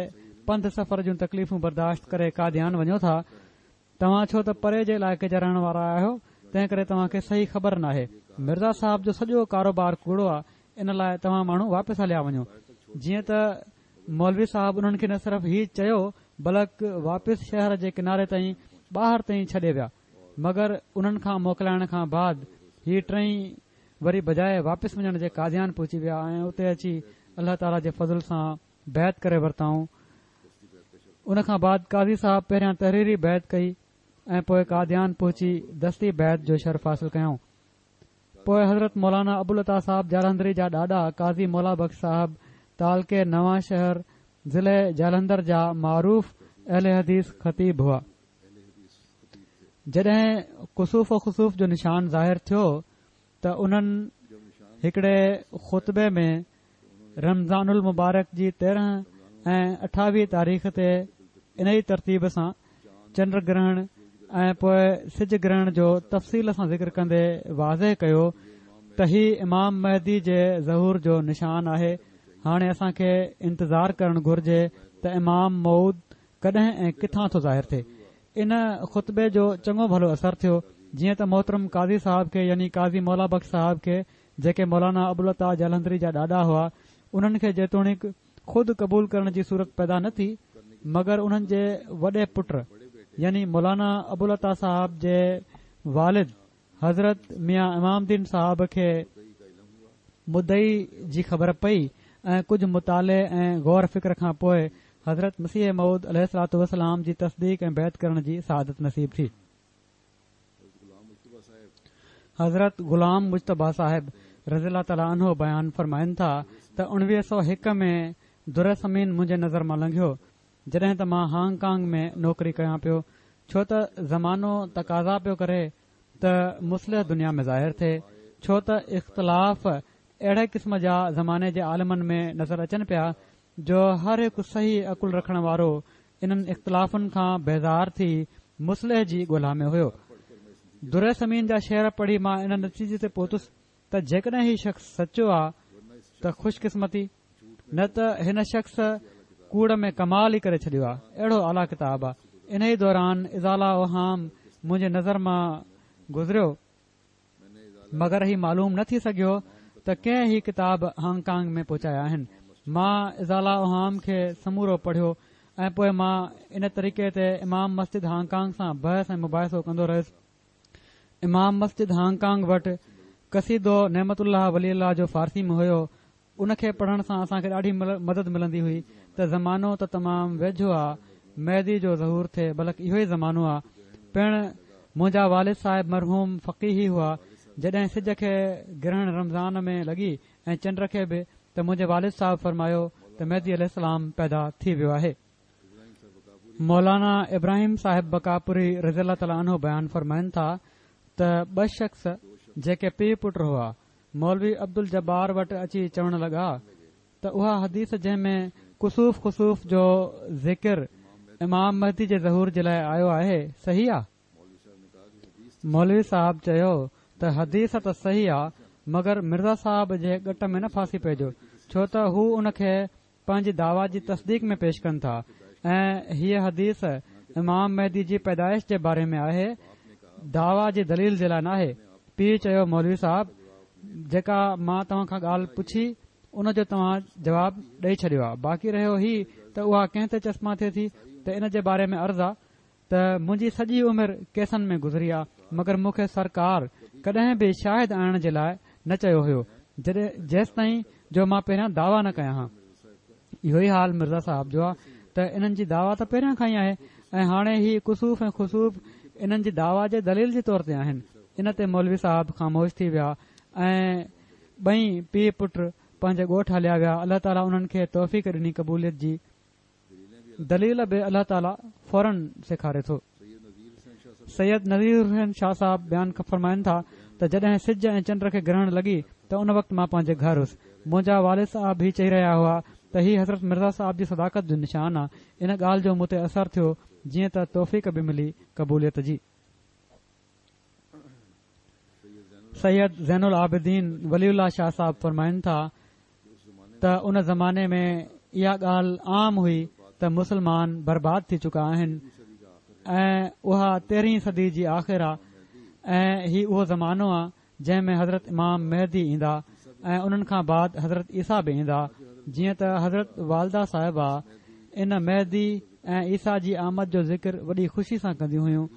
پنڌ سفر جون تڪليفون برداشت ڪري قاديان وڃو ٿا، توهان ڇو ته پري جي علائقي جا رهڻ وارا آهيو، تنهن ڪري توهان کي صحيح خبر ناهي. مرزا صاحب جو سڄو ڪاروبار ڪوڙو آهي، ان لاءِ توهان ماڻهو واپس هليا وڃو. جيئن ته مولوي صاحب انهن کي نه صرف هي چيو بلڪ واپس شهر جي ڪناري تائين ٻاهر تائين ڇڏي ويا. مگر انهن کان موڪلائڻ کان بعد هي ٽئي وري بجاءِ واپس وڃڻ جي قاديان پهچي ويا ۽ اتي اچي الله تعاليٰ جي فضل سان بيعت ڪري ورتائون. ان کان بعد قاضي صاحب پهريان تحريري بيعت ڪئي ۽ پوءِ قاديان پهچي دستي بيعت جو شرف حاصل ڪيائون. پوءِ حضرت مولانا ابوالعطا صاحب جالنڌري جا ڏاڏا قاضي مولا بخش صاحب تعلقي نوان شهر ضلعي جالنڌر جا معروف اهل حديث خطيب هئا. جڏهن ڪسوف و خسوف جو نشان ظاهر ٿيو ته انهن هڪڙي خطبي ۾ رمضان المبارڪ جي تيرهن ۽ اٺاويهه تاريخ تي ان ئي ترتيب سان چنڊ گرهڻ ۽ پوءِ سج گرهڻ جو تفصيل سان ذڪر ڪندي واضح ڪيو ته هي امام مهدي جي ظهور جو نشان آهي. هاڻي اسان کي انتظار ڪرڻ گهرجي ته امام موعود ڪڏهن ۽ ڪٿان ٿو ظاهر ٿئي. ان خطبي جو چڱو ڀلو اثر ٿيو. جيئن ته محترم قاضي صاحب کي يعني قاضي مولا بخش صاحب کي، جيڪي مولانا ابوالعطا جالنڌري جا ڏاڏا هئا، انهن کي جيتوڻيڪ خود قبول ڪرڻ جي صورت پيدا نه ٿي، مگر انهن جي وڏي پٽ يعني مولانا ابوالعطا صاحب جي والد حضرت ميان امام الدين صاحب کي مدعي جي خبر پئي ۽ ڪجهه مطالعي ۽ غور فڪر کان پوءِ حضرت مسيح موعود عليه الصلوة والسلام جي تصديق ۽ بيعت ڪرڻ جي سعادت نصيب ٿي. حضرت غلام مجتبيٰ صاحب رضي الله تعاليٰ عنه بيان فرمائن ٿا ته اڻويهه سؤ هڪ ۾ در ثمين منهنجي نظر مان لنگهيو، جڏهن ته مان هانگ ڪانگ ۾ نوڪري ڪيان پيو، ڇو ته زمانو تقاضا پيو ڪري ته مصلح دنيا ۾ ظاهر ٿئي، ڇو ته اختلاف اهڙي قسم جا زماني جي عالمن ۾ نظر اچن پيا جو هر هڪ صحيح عقل رکڻ وارو انهن اختلافن کان بيزار ٿي مصلح جي ڳولا ۾ هيو. در ثمين جا شعر پڙهي مان ان نتيجي تي پهتس ته جيڪڏهن هي شخص سچو آ ته خوش قسمتي، نه ته هن شخص ڪوڙ ۾ ڪمال ئي ڪري ڇڏيو آ. اهڙو اعليٰ ڪتاب آ. ان ئي دوران ازاله اوهام منهنجي نظر مان گذريو، مگر هي معلوم نه ٿي سگهيو ته ڪنهن هي ڪتاب هانگ ڪانگ ۾ پهچايا آهن. مان ازاله اوهام کي سمورو پڙهيو ۽ پوءِ مان ان طريقي تي امام مسجد هانگ ڪانگ سان بحث ۽ مباحثو ڪندو رهيس. امام مسجد هانگ ڪانگ وٽ قصيدو نعمت الله ولي الله جو فارسي ۾ هيو، ان کي پڙهڻ سان اسان کي ڏاڍي مدد ملندي هئي ته زمانو ته تمام ويجهو آ مهدي جو ظهور ٿئي، بلڪ اهو ئي زمانو آ. پڻ منهنجا والد صاحب مرحوم فقيهي هئا. جڏهن سج کي گرهڻ رمضان ۾ لڳي ۽ چنڊ کي به، ته منهنجي والد صاحب فرمايو ته مهدي عليه السلام پيدا ٿي ويو آهي. مولانا ابراهيم صاحب بقاپوري رضي الله تعالٰي عنه بيان فرمائن ٿا ته ٻه شخص جيڪي پيء پٽ هئا، مولوي عبدالجبار وٽ اچي چوڻ لڳا ته اها حديث جنهن ۾ ڪسوف خسوف جو ذڪر امام مهدي جي ظهور جي لاء آيو آهي، صحيح آ؟ مولوي صاحب چيو ته حديث ته صحيح آ، مگر مرزا صاحب جي ڳٽ ۾ نه ڦاسي پئجو، ڇو ته هو ان کي پنهنجي دعويٰ جي تصديق ۾ پيش ڪن ٿا ۽ هيء حديث امام مهدي جي پيدائش جي باري ۾ آهي، دعويٰ جي دليل جي لاء ناهي. پيء چيو مولوي صاحب، جيڪا مان توهان کان ڳالهه پڇي ان جو توهان جواب ڏئي ڇڏيو آ، باقي رهيو هي ته اها ڪنهن تي چسپان ٿئي ٿي، ته ان جي باري ۾ عرض آ ته منهنجي سڄي عمر ڪيسن ۾ گذري آ، مگر مون کي سرڪار ڪڏهن به شاهد آڻڻ جي لاء نه چيو هيو، جڏهن جيستائين جو مان پهريان دعويٰ نه ڪيان ها. اهو ئي حال مرزا صاحب جو آ ته انهن جي دعويٰ ته پهريان کان ئي آهي ۽ هاڻي هي ڪسوف ۽ خسوف انهن جي دعويٰ جي دليل جي طور تي آهن. ان تي مولوي صاحب خاموش ٿي ويا ۽ ٻئي پيء پٽ پنهنجي ڳوٺ هليا ويا. الله تعاليٰ انهن کي توفيق ڏني قبوليت جي. دليل به الله تعاليٰ فوراً سيکاري ٿو. سيد نذير حسين شاهه صاحب بيان فرمائن ٿا ته جڏهن سج ۽ چنڊ کي گرهڻ لڳي ته ان وقت مان پنهنجي گهر هيس. منهنجا والد صاحب هي چئي رهيا هئا ته هي حضرت مرزا صاحب جي صداقت جو نشان آ. ان ڳالهه جو مون تي اثر ٿيو، جيئن ته توفيق به ملي قبوليت جي. سيد زين العابدين ولي الله شاهه صاحب فرمائن ٿا ته ان زماني ۾ اها ڳالهه عام هئي ته مسلمان برباد ٿي چڪا آهن ۽ اها تيرهين صدي جي آخر آ ۽ هي اهو زمانو آ جنهن ۾ حضرت امام مهدي ايندا ۽ انهن کان بعد حضرت عيسيٰ به ايندا. جيئن ته حضرت والده صاحبه ان مهدي ۽ عيسيٰ جي آمد جو ذڪر وڏي خوشي سان ڪنديون هيون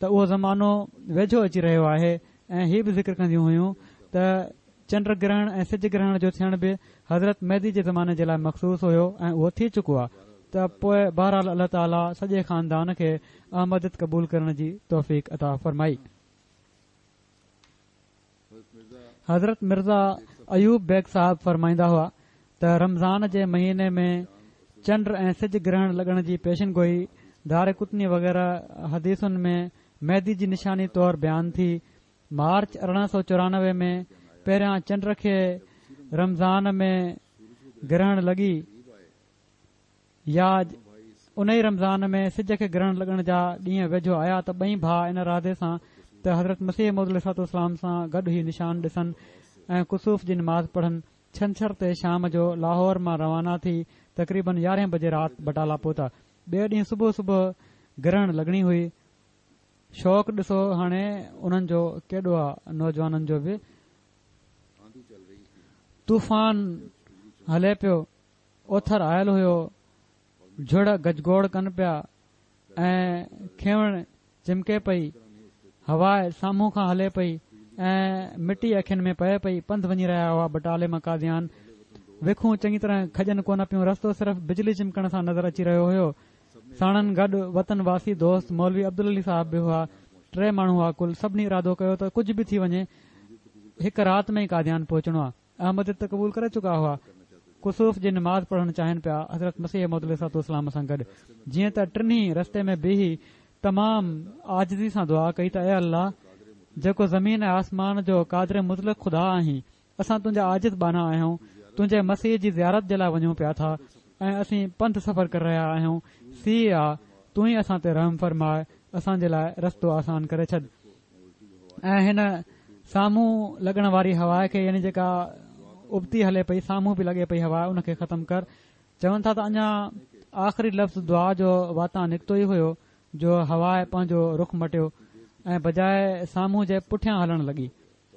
ته اهو زمانو ويجهو اچي رهيو آهي، ۽ هي به ذڪر ڪنديون هيون ته چنڊ گرهڻ ۽ سج گرهڻ جو ٿيڻ به حضرت مهدي جي زماني جي لاء مخصوص هيو ۽ اهو ٿي چڪو آهي. ته پوء بهرحال الله تعاليٰ سڄي خاندان کي احمديت قبول ڪرڻ جي توفيق عطا فرمائي. حضرت مرزا ايوب بيگ صاحب فرمائيندا هئا ته رمضان جي مهيني ۾ چنڊ ۽ سج گرهڻ لڳڻ جي پيشن گوئي دار قطني وغيره حديثن ۾ مهدي جي نشاني طور بيان ٿي. مارچ ارڙهن سؤ چورانوي ۾ پهريان چنڊ کي رمضان ۾ گرهڻ لڳي يا ان ئي رمضان ۾ سج کي گرهڻ لڳڻ جا ڏينهن ويجهو آيا ته ٻئي ڀاء ان ارادي سان ته حضرت مسيح موعود عليه الصلوة والسلام سان گڏ هي نشان ڏسن ۽ ڪسوف جي نماز پڙهن، ڇنڇر تي شام جو لاهور مان روانا ٿي تقريبن يارهين بجي رات بٽالا پهتا. ٻئي ڏينهن صبح صبح گرهڻ لڳڻي هئي. شوق ڏسو هاڻي انهن جو ڪيڏو آ، نوجوانن جو به. طوفان هلي پيو، اوٿر آيل هيو، جهڙ گجگوڙ ڪن پيا ۽ کنوڻ چمڪي پئي، هوا سامهون کان هلي پئي ۽ مٽي اکين ۾ پئي پئي. پنڌ وڃي رهيا هئا بٽالي مان قاديان. وکون چڱي طرح کڄن ڪونه پيون، رستو صرف بجلي چمڪڻ سان نظر اچي رهيو هيو. ساڻن گڏ وطن واسي دوست مولوي عبدالعلي صاحب به هئا. ٽي ماڻهو هئا ڪل. سڀني ارادو ڪيو ته ڪجهه به ٿي وڃي هڪ رات ۾ ئي قاديان پهچڻو آ. احمديت ته قبول ڪري چڪا هئا، ڪسوف جي نماز پڙهڻ چاهين پيا حضرت مسيح موعود عليه الصلوة والسلام سان گڏ. جيئن ته ٽنهي رستي ۾ بيهي تمام عاجزي سان دعا ڪئي ته اي الله، جيڪو زمين ۽ آسمان جو قادر مطلق خدا آهين، اسان تنهنجا عاجز ٻانها آهيون، تنهنجي مسيح جي زيارت جي لاء وڃون پيا ٿا ۽ اسين پنڌ سفر ڪري رهيا آهيون، سيءُ آ، تون ئي اسان تي رحم فرماء، اسان جي لاء رستو آسان ڪري ڇڏ. ۽ هن سامهون لڳڻ واري هوا کي، يعني جيڪا ابتي هلي پئي، سامهون به لڳي پئي هوا، ان کي ختم ڪر. چون ٿا ته اڃا آخري لفظ دعا جو واتان نڪتو ئي هيو جو هوا پنهنجو رخ مٽيو ۽ بجاء سامهون جي پٺيان هلڻ لڳي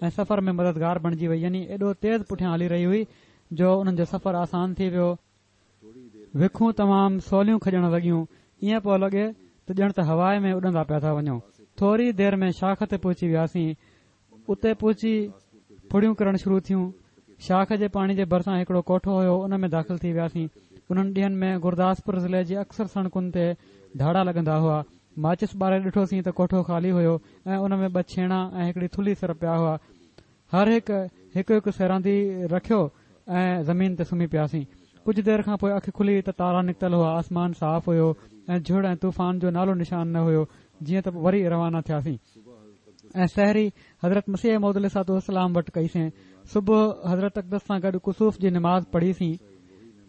۽ سفر ۾ مددگار بڻجي وئي. يعني ايڏو تيز پٺيان هلي رهي هئي جو انهن جو سفر آسان ٿي ويو. وکون تمام سوليون کڄڻ لڳيون، ائين پيو لڳي ته ڄڻ ته هوا ۾ اڏندا پيا ٿا وڃون. ٿوري دير ۾ شاخ تي پهچي وياسين. اتي پهچي ڦڙيون ڪرڻ شروع ٿيون. شاخ جي پاڻي جي ڀرسان هڪڙو ڪوٺو هيو، ان ۾ داخل ٿي وياسين. انهن ڏينهن ۾ گرداسپور ضلعي جي اڪثر سڙڪن تي ڌاڙا لڳندا هئا. ماچس ٻاري ڏٺوسين ته ڪوٺو خالي هيو ۽ ان ۾ ٻه ڇيڻا ۽ هڪڙي ٿلهي سر پيا هئا. هر هڪ هڪ هڪ سيراندي رکيو ۽ زمين تي سمهي پياسين. ڪجهه دير کان پوءِ اک کلي ته تارا نڪتل هئا، آسمان صاف هيو ۽ جهڙ ۽ طوفان جو نالو نشان نه هيو. جيئن ته وري روانا ٿياسين ۽ سحري حضرت مسيح موعود عليه الصلوة والسلام وٽ ڪئيسين. صبح حضرت اقدس سان گڏ ڪسوف جي نماز پڙهيسين.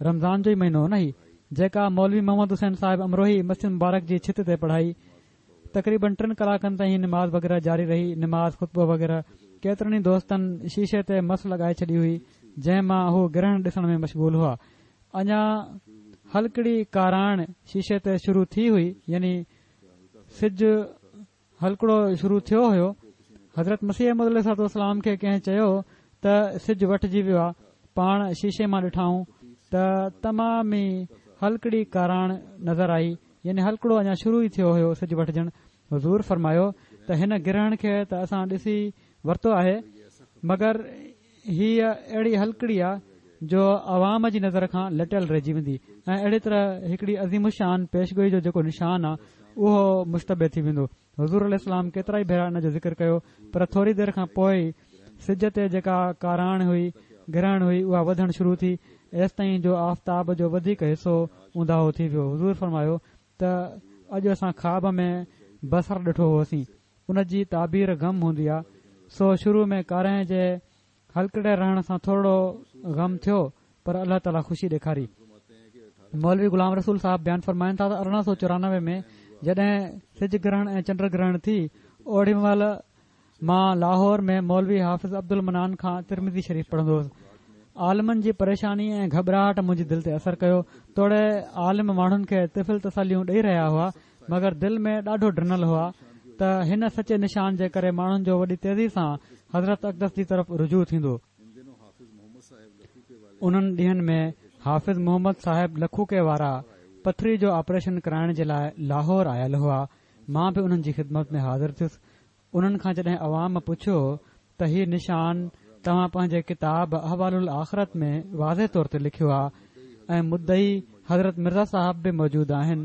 رمضان جو ئي مهينو نه هي، جيڪا مولوي محمد حسين صاحب امروهي مسجد مبارڪ جي ڇت تي پڙهائي. تقريبن ٽن ڪلاڪن تائين هي نماز وغيره جاري رهي. نماز، خطبو وغيره. ڪيترن ئي دوستن شيشي تي مس لڳائي ڇڏي هئي، جنهن مان هو گرهڻ ڏسڻ ۾ مشغول هئا. اڃا هلڪڙي ڪاراڻ شيشي تي شروع ٿي هئي، يعني سج هلڪڙو شروع ٿيو هيو. حضرت مسيح موعود عليه الصلوة والسلام کي ڪنهن چيو ته سج وٺجي ويو آهي. پاڻ شيشي مان ڏٺائون ته تمام ئي هلڪڙي ڪاراڻ نظر آئي، يعني هلڪڙو اڃا شروع ئي ٿيو هيو سج وٺجڻ. حضور فرمايو ته هن گرهڻ کي ته اسان ڏسي ورتو آهي، مگر هيءَ اهڙي هلڪڙي آهي جو عوام جي نظر کان لٽيل رهجي ويندي ۽ اهڙي طرح هڪڙي عظيم الشان پيشگوئي جو جيڪو نشان آهي اهو مشتبه ٿي ويندو. حضور عليه السلام ڪيترا ئي ڀيرا ان جو ذڪر ڪيو، پر ٿوري دير کان پوءِ سج تي جيڪا ڪاراڻ هئي، گرهڻ هئي، اها وڌڻ شروع ٿي، ايستائين جو آفتاب جو وڌيڪ حصو اونداهو ٿي ويو. حضور فرمايو ته اڄ اسان خواب ۾ بصر ڏٺو هوسين، ان جي تعبير غم هوندي آهي. سو شروع ۾ ڪارنهن جي هلڪڙي رهڻ سان ٿورو غم ٿيو، پر الله تعاليٰ خوشي ڏيکاري. مولوي غلام رسول صاحب بيان فرمائن ٿا ته ارڙهن سؤ چورانوي ۾ جڏهن سج گرهڻ ۽ چنڊ گرهڻ ٿي، اوڏي مهل مان لاهور ۾ مولوي حافظ عبدالمنان کان ترمذي شريف پڙهندو هوس. عالمن جي پريشاني ۽ گهٻراهٽ منهنجي دل تي اثر ڪيو. توڙي عالم ماڻهن کي طفل تسليون ڏيئي رهيا هئا، مگر دل ۾ ڏاڍو ڊنل هئا ته هن سچي نشان جي ڪري ماڻهن جو وڏي تيزي سان حضرت اقدس جي طرف رجوع ٿيندو. انهن ڏينهن ۾ حافظ محمد صاحب لکوڪي وارا پٿري جو آپريشن ڪرائڻ جي لاءِ لاهور آيل هئا. مان به انهن جي خدمت ۾ حاضر ٿيس. انهن کان جڏهن عوام پڇيو ته هي نشان توهان پنهنجي ڪتاب احوال الآخرت ۾ واضح طور تي لکيو آهي ۽ مدعي حضرت مرزا صاحب به موجود آهن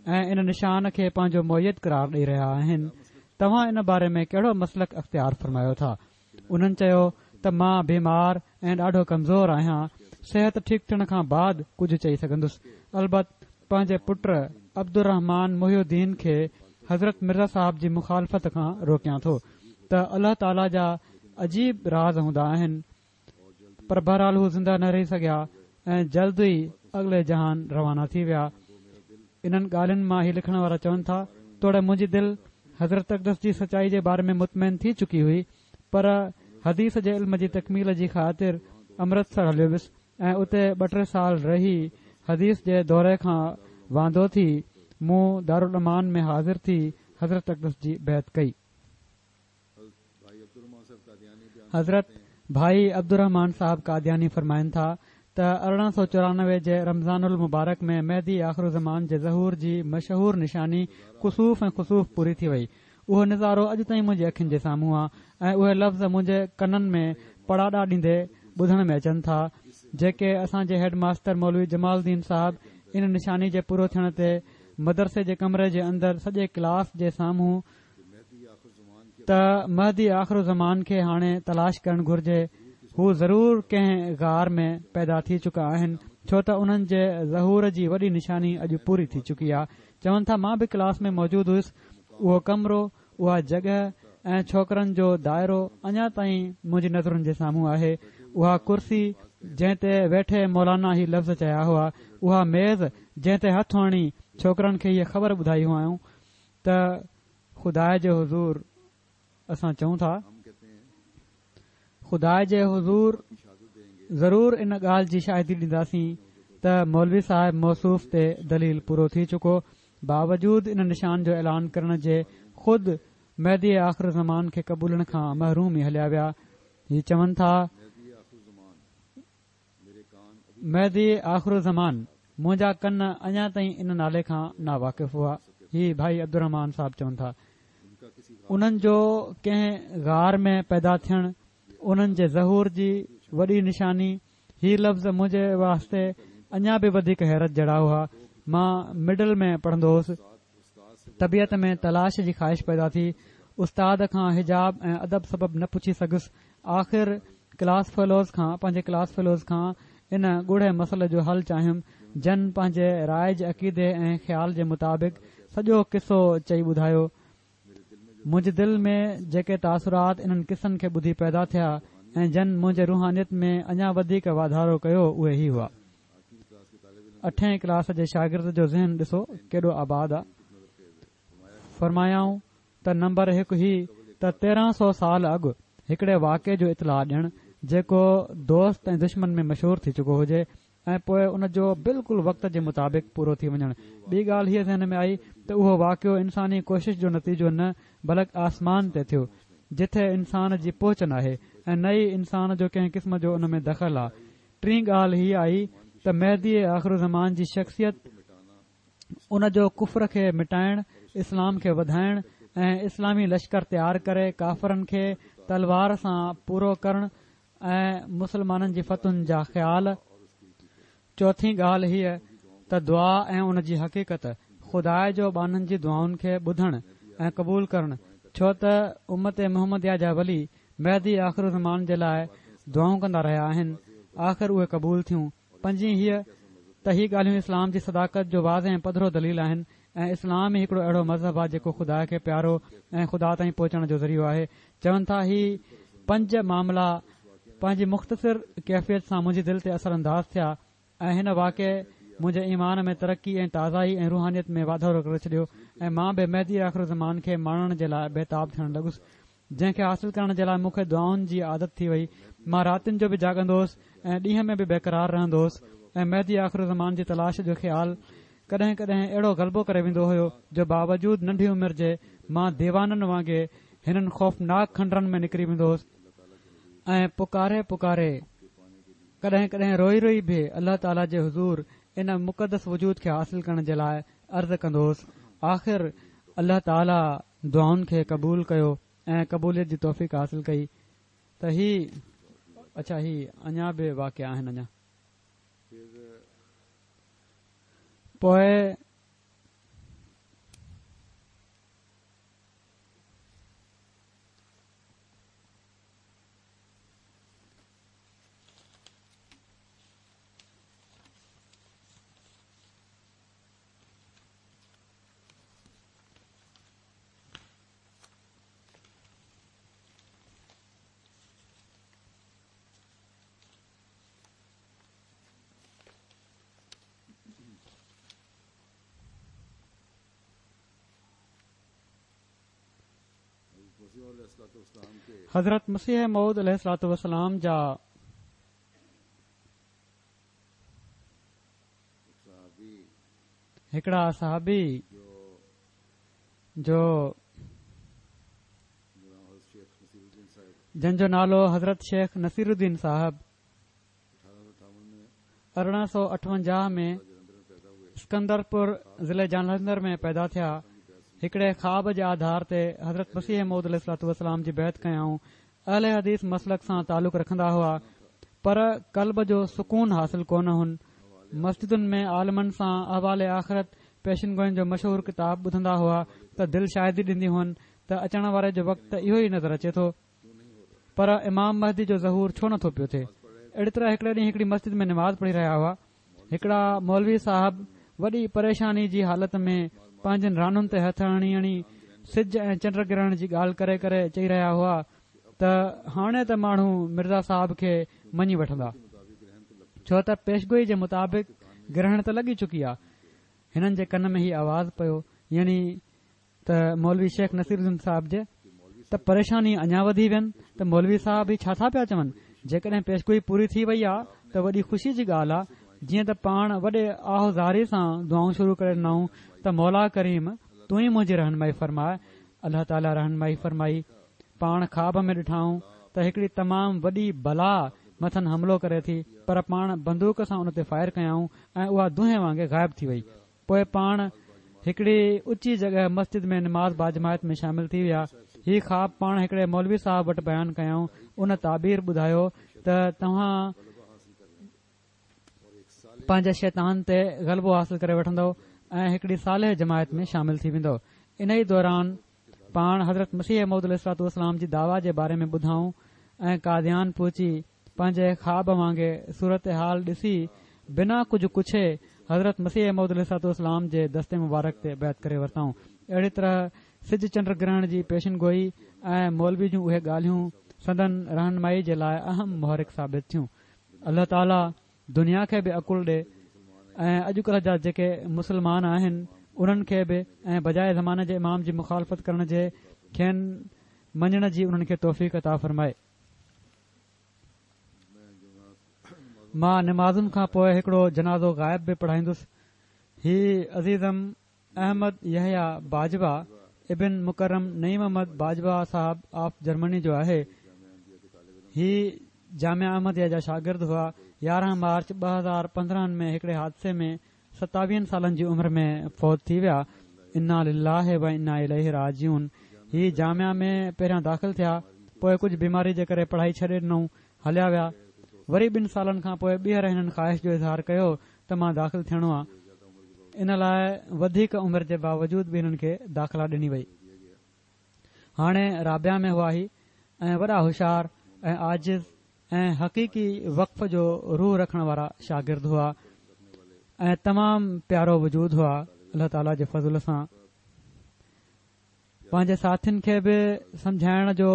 ۽ ان نشان کي پنهنجو معيد قرار ڏيئي رهيا آهن، توهان ان باري ۾ ڪهڙو مسلڪ اختيار فرمايو ٿا؟ انهن چيو ته مان بيمار ۽ ڏاڍو ڪمزور آهيان، صحت ٺيڪ ٿيڻ کان بعد ڪجهه چئي سگهندس. البت پنهنجي پٽ عبدالرحمان محي الدين کي حضرت مرزا صاحب جي مخالفت کان روڪيان ٿو ته الله تعاليٰ جا عجيب راز هوندا آهن، پر بهرحال هو زنده نه رهي سگهيا ۽ جلد ئي اڳلي جهان روانا ٿي ويا. انهن ڳالهين مان هي لکڻ وارا چون ٿا، توڙي منهنجي دل حضرت اقدس جي سچائي جي باري ۾ مطمئن ٿي چڪي هئي، پر حديث جي علم جي تڪميل جي خاطر امرتسر هليو ويس ۽ اتي ٻه ٽي سال رهي حديث جي دوري کان واندو ٿي مون دارالامان ۾ حاضر ٿي حضرت اقدس جي بيعت ڪئي. حضرت ڀائي عبدالرحمان صاحب قادياني فرمائن ٿا ته ارڙهن سؤ چورانوي جي رمضان المبارڪ ۾ مهدي آخر زمان جي ظهور جي مشهور نشاني ڪسوف ۽ خسوف پوري ٿي وئي. اهو نظارو اڄ تائين منهنجي اکين جي سامهون آهي ۽ اهي لفظ منهنجي ڪنن ۾ پڙاڏا ڏيندي ٻڌڻ ۾ اچن ٿا، جيڪي اسان جي هيڊ ماستر مولوي جمال الدين صاحب ان نشاني جي پورو ٿيڻ تي مدرسي جي ڪمري جي اندر سڄي ڪلاس جي سامهون ته مهدي آخر زمان کي هاڻي تلاش ڪرڻ گهرجي، هو ضرور ڪنهن غار ۾ پيدا ٿي چڪا آهن، ڇو ته انهن جي ظهور جي وڏي نشاني اڄ پوري ٿي چڪي آهي. چون ٿا مان به ڪلاس ۾ موجود هئس. اهو ڪمرو، اها جڳهه ۽ ڇوڪرن جو دائرو اڃا تائين منهنجي نظرن جي سامهون آهي. اها ڪرسي جنهن تي ويٺي مولانا هي لفظ چيا هئا، اها ميز جنهن تي هٿ هڻي ڇوڪرن کي هيءَ خبر ٻڌائي هئائون ته خدا جي حضور اسان چئون ٿا، خدا جي حضور ضرور ان ڳالهه جي شاهدي ڏينداسين ته مولوي صاحب موصوف تي دليل پورو ٿي چڪو. باوجود ان نشان جو اعلان ڪرڻ جي خود مهدي آخر زمان کي قبولڻ کان محروم ئي هليا ويا. هي چون ٿا مهدي آخر زمان، منهنجا ڪن اڃا تائين ان نالي کان ناواقف هئا. هي ڀائي عبدالرحمان صاحب چون ٿا. انهن جو ڪنهن غار ۾ پيدا ٿيڻ انهن جي ظهور جي وڏي نشاني. هي لفظ منهنجي واسطي اڃا به وڌيڪ حيرت جهڙا هئا. مان مڊل ۾ پڙهندو هوس. طبيعت ۾ تلاش جي خواهش پيدا ٿي. استاد کان حجاب ۽ ادب سبب نه پڇي سگهيس. آخر ڪلاس فيلوز کان پنهنجي ڪلاس فيلوز کان ان ڳوڙهي مسئلي جو حل چاهيم، جن پنهنجي رائج عقيدي ۽ خيال جي مطابق سڄو قصو چئي ٻڌايو. منهنجي دل ۾ جيڪي تاثرات انهن قصن کي ٻڌي پيدا ٿيا ۽ جن منهنجي روحانيت ۾ اڃا وڌيڪ واڌارو ڪيو اهي هي هئا. اٺين ڪلاس جي شاگرد جو ذهن ڏسو ڪيڏو آباد آ. فرمايائون ته نمبر هڪ هي ته تيرهن سؤ سال اڳ هڪڙي واقعي جو اطلاع ڏيڻ جيڪو دوست ۽ دشمن ۾ مشهور ٿي چڪو هجي ۽ پوءِ ان جو بلڪل وقت جي مطابق پورو ٿي وڃڻ. ٻي ڳالهه هيءَ ذهن ۾ آئي ته اهو واقعو انساني ڪوشش جو نتيجو نه بلڪ آسمان تي ٿيو، جٿي انسان جي پهچ ناهي ۽ نه ئي انسان جو ڪنهن قسم جو ان ۾ دخل آ. ٽين ڳالهه هيءَ آئي ته مهدي آخر زمان جي شخصيت، ان جو ڪفر کي مٽائڻ، اسلام کي وڌائڻ ۽ اسلامي لشڪر تيار ڪري ڪافرن کي تلوار سان پورو ڪرڻ ۽ مسلمانن جي فتحن جا خيال. چوٿين ڳالهه هيءَ ته دعا ۽ ان جي حقيقت، خدا جو ٻانهن جي دعائن کي ٻڌڻ ۽ قبول ڪرڻ، ڇو ته امت محمديه جا ولي مهدي آخر زمان جي لاءِ دعائون ڪندا رهيا آهن، آخر اهي قبول ٿيون. پنجين هيءَ ته هي ڳالهيون اسلام جي صداقت جو واضح ۽ پڌرو دليل آهن ۽ اسلام ئي هڪڙو اهڙو مذهب آهي جيڪو خدا کي پيارو ۽ خدا تائين پهچڻ جو ذريعو آهي. چون ٿا هي پنج معاملا پنهنجي مختصر ڪيفيت سان منهنجي دل تي اثر انداز ٿيا ۽ هن واقعي منهنجي ايمان ۾ ترقي ۽ تازائي ۽ روحانيت ۾ واڌارو ڪري ڇڏيو ۽ مان به مهدي آخر زمان کي ماڻڻ جي لاءِ بيتاب ٿيڻ لڳس، جنهن کي حاصل ڪرڻ جي لاءِ مون کي دعائن جي عادت ٿي وئي. مان راتين جو به جاڳندو هوس ۽ ڏينهن ۾ به بيقرار رهندو هوس ۽ مهدي آخر زمان جي تلاش جو خيال ڪڏهن ڪڏهن اهڙو غلبو ڪري ويندو هيو جو باوجود ننڍي عمر جي مان ديوانن وانگي هنن خوفناڪ کنڊرن ۾ نڪري ويندو هوس ۽ پڪاري پڪاري ڪڏهن ڪڏهن روئي روئي به الله تعاليٰ جي حضور ان مقدس وجود کي حاصل ڪرڻ جي لاءِ عرض ڪندو هوس. آخر الله تعاليٰ دعائن کي قبول ڪيو ۽ قبوليت جي توفيق حاصل ڪئي. ته هي اڇا هي اڃا به واقعا آهن اڃا. پوءِ حضرت مسيح موعود عليه الصلوة والسلام جا هڪڙا صحابي جو جن جو نالو حضرت شيخ نصير الدين صاحب ارڙهن سؤ اٺونجاهه ۾ اسڪندرپور ضلعي جالنڌر ۾ پيدا ٿيا. هڪڙي خواب جي آڌار تي حضرت مسيح موعود عليه الصلوة والسلام جي بيعت ڪيائون. اهل حديث مسلڪ سان تعلق رکندا هئا پر قلب جو سڪون حاصل ڪونه هن. مسجدن ۾ عالمن سان احوال آخرت پيشن گوئين جو مشهور ڪتاب ٻڌندا هئا ته دل شاهدي ڏيندي هئن ته اچڻ واري جو وقت اهو ئي نظر اچي ٿو، پر امام مهدي جو ظهور ڇو نٿو پيو ٿئي. اهڙي طرح هڪڙي ڏينهن هڪڙي مسجد ۾ نماز پڙهي رهيا هئا. هڪڙا مولوي صاحب وڏي پريشاني جي حالت ۾ پنهنجن رانن تي هٿ هڻي هڻي سج ۽ چنڊ گرهڻ جي ڳالهه ڪري ڪري چئي رهيا هئا ته هاڻي ته ماڻهو مرزا صاحب کي مڃي وٺندا، ڇو ته پيشگوئي جي مطابق گرهڻ ته لڳي چڪي آهي. هنن جي ڪن ۾ هي آواز پيو، يعني ته مولوي شيخ نصير الدين صاحب جي، ته پريشاني اڃا وڌي وين ته مولوي صاحب هي ڇا ٿا پيا چون، جيڪڏهن پيشگوئي پوري ٿي وئي آهي ته وڏي خوشي جي ڳالهه آهي. جيئن ته پاڻ وڏي آهوزاري سان دعائون شروع ڪري ڏنائون ته مولا ڪريم تون ئي منهنجي رهنمائي فرماءِ. الله تعاليٰ رهنمائي فرمائي. پاڻ خواب ۾ ڏٺائون ته هڪڙي تمام وڏي بلا مٿن حملو ڪري ٿي، پر پاڻ بندوق سان ان تي فائر ڪيائون ۽ اها دونهين وانگي غائب ٿي وئي. پوءِ پاڻ هڪڙي اچي جڳهه مسجد ۾ نماز باجماعت ۾ شامل ٿي ويا. هي خواب پاڻ هڪڙي مولوي صاحب وٽ بيان ڪيائون. ان تعبير ٻڌايو ته توهان پنهنجي شيطان تي غلبو حاصل ڪري وٺندؤ ۽ هڪڙي صالح جماعت ۾ شامل ٿي ويندؤ. ان ئي دوران پاڻ حضرت مسيح موعود عليه الصلوة والسلام جي دعويٰ جي باري ۾ ٻڌائون ۽ قاديان پهچي پنهنجي خواب وانگي صورت حال ڏسي بنا ڪجهه پڇي حضرت مسيح موعود عليه الصلوة والسلام جي دستي مبارڪ تي بيعت ڪري ورتائون. اهڙي طرح سج چنڊ گرهڻ جي پيشن گوئي ۽ مولوي جون اهي ڳالهيون سندن رهنمائي جي لاءِ اهم محرڪ ثابت ٿيون. الله تعاليٰ دنيا کي به عقل ڏي ۽ اڄڪلهه جا جيڪي مسلمان آهن انهن کي به، ۽ بجاءِ زماني جي امام جي مخالفت ڪرڻ جي کين مڃڻ جي انهن کي توفيق عطا فرمائي. مان نمازن کان پوءِ هڪڙو جنازو غائب به پڙهائيندس. هي عزيزم احمد يحيٰ باجوا ابن مڪرم نعيم احمد باجوا صاحب آف جرمني جو آهي. هي جامعه احمديه جا شاگرد هئا. يارهن مارچ ٻه هزار پندرهن ۾ هڪڙي حادثي ۾ ستاويهن سالن جي عمر ۾ فوت ٿي ويا. انا لله و انا اليه راجعون. هي جامعه ۾ پهريان داخل ٿيا، پوءِ ڪجهه بيماري جي ڪري پڙهائي ڇڏي ڏنئون، هليا ويا. وري ٻن سالن کان پوءِ ٻيهر هنن خواهش جو اظهار ڪيو ته مان داخل ٿيڻو آهي. ان لاءِ وڌيڪ عمر جي باوجود به هنن کي داخلا ڏني وئي. هاڻي رابعه ۾ هئا هي ۽ وڏا هوشيار ۽ عاجز ۽ حقيقي وقف جو روح رکڻ وارا شاگرد هئا ۽ تمام پيارو وجود هئا. الله تعاليٰ جي فضل سان پنهنجي ساٿين کي به سمجهائڻ جو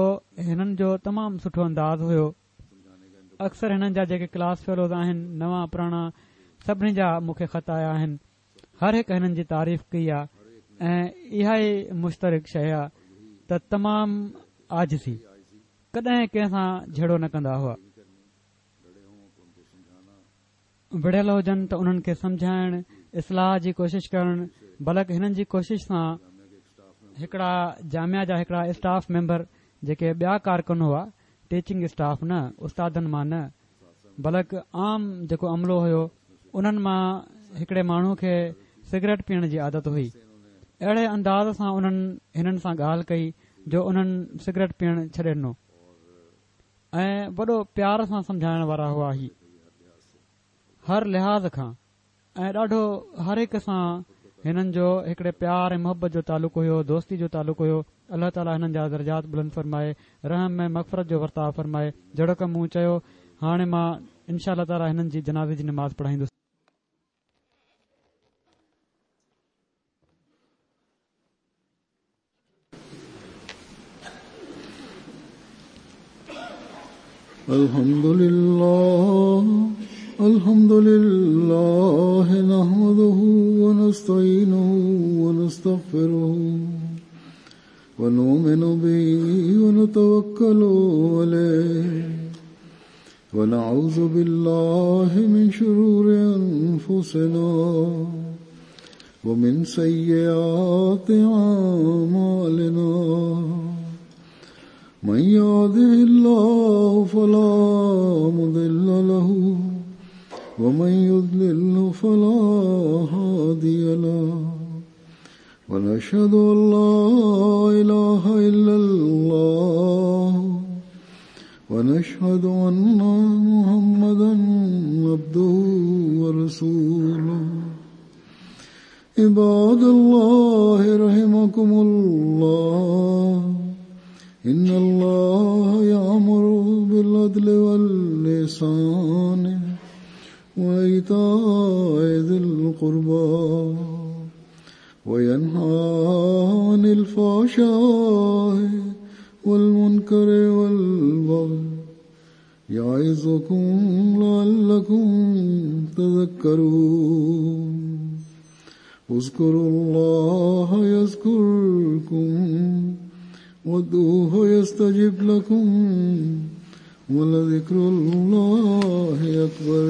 هنن جو تمام سٺو انداز هيو. اڪثر هنن جا جيڪي ڪلاس فيلوز آهن، نوان پراڻا، سڀني جا مون کي خط آيا آهن. هر هڪ هنن جي تعريف ڪئي آهي ۽ اها ئي مشترڪ شيءِ آهي ته تمام عاجزي، ڪڏهن ڪنهن سان جهيڙو نه ڪندا هئا. وڙهيل هجن ته انهن کي سمجهائڻ، اصلاح جي ڪوشش ڪرڻ، بلڪ هنن جي ڪوشش سان هڪڙا جامعه جا هڪڙا اسٽاف ميمبر جيڪي ٻيا ڪارڪن هئا، ٽيچنگ اسٽاف نه، استادن مان نه، بلڪ عام جيڪو عملو هيو، انهن مان هڪڙي ماڻهو کي سگريٽ پيئڻ جي عادت هئي. اهڙي انداز سان انهن هنن سان ڳالهه ڪئي جو انهن سگريٽ پيئڻ ڇڏي ڏنو ۽ وڏو پيار سان سمجهائڻ وارا هئا. هي هر لحاظ کان ۽ ڏاڍو هر هڪ سان هنن جو هڪڙي پيار ۽ محبت جو تعلق هيو، دوستي جو تعلق هيو. الله تعاليٰ هنن جا درجات بلند فرمائي، رحم ۽ مغفرت جو ورتاءُ فرمائي. جهڙوڪ مون چيو، هاڻي مان انشاء الله تعاليٰ هنن جي جنازي جي نماز پڙهائيندس. الحمد لله الحمد لله نحمده ونستعينه ونستغفره ونؤمن به ونتوكل عليه ونعوذ بالله من شرور أنفسنا ومن سيئات أعمالنا من يهده الله فلا مضل له ومن يضلل فلا هادي له ونشهد أن لا إله إلا الله ونشهد أن محمدا عبده ورسوله. عباد الله رحمكم الله، إن الله يأمر بالعدل والإحسان وإيتاء ذي القربى وينهى عن الفحشاء والمنكر والبغي يعظكم لعلكم تذكرون. اذكروا الله يذكركم وادعوه يستجب لكم ولذكر الله أكبر.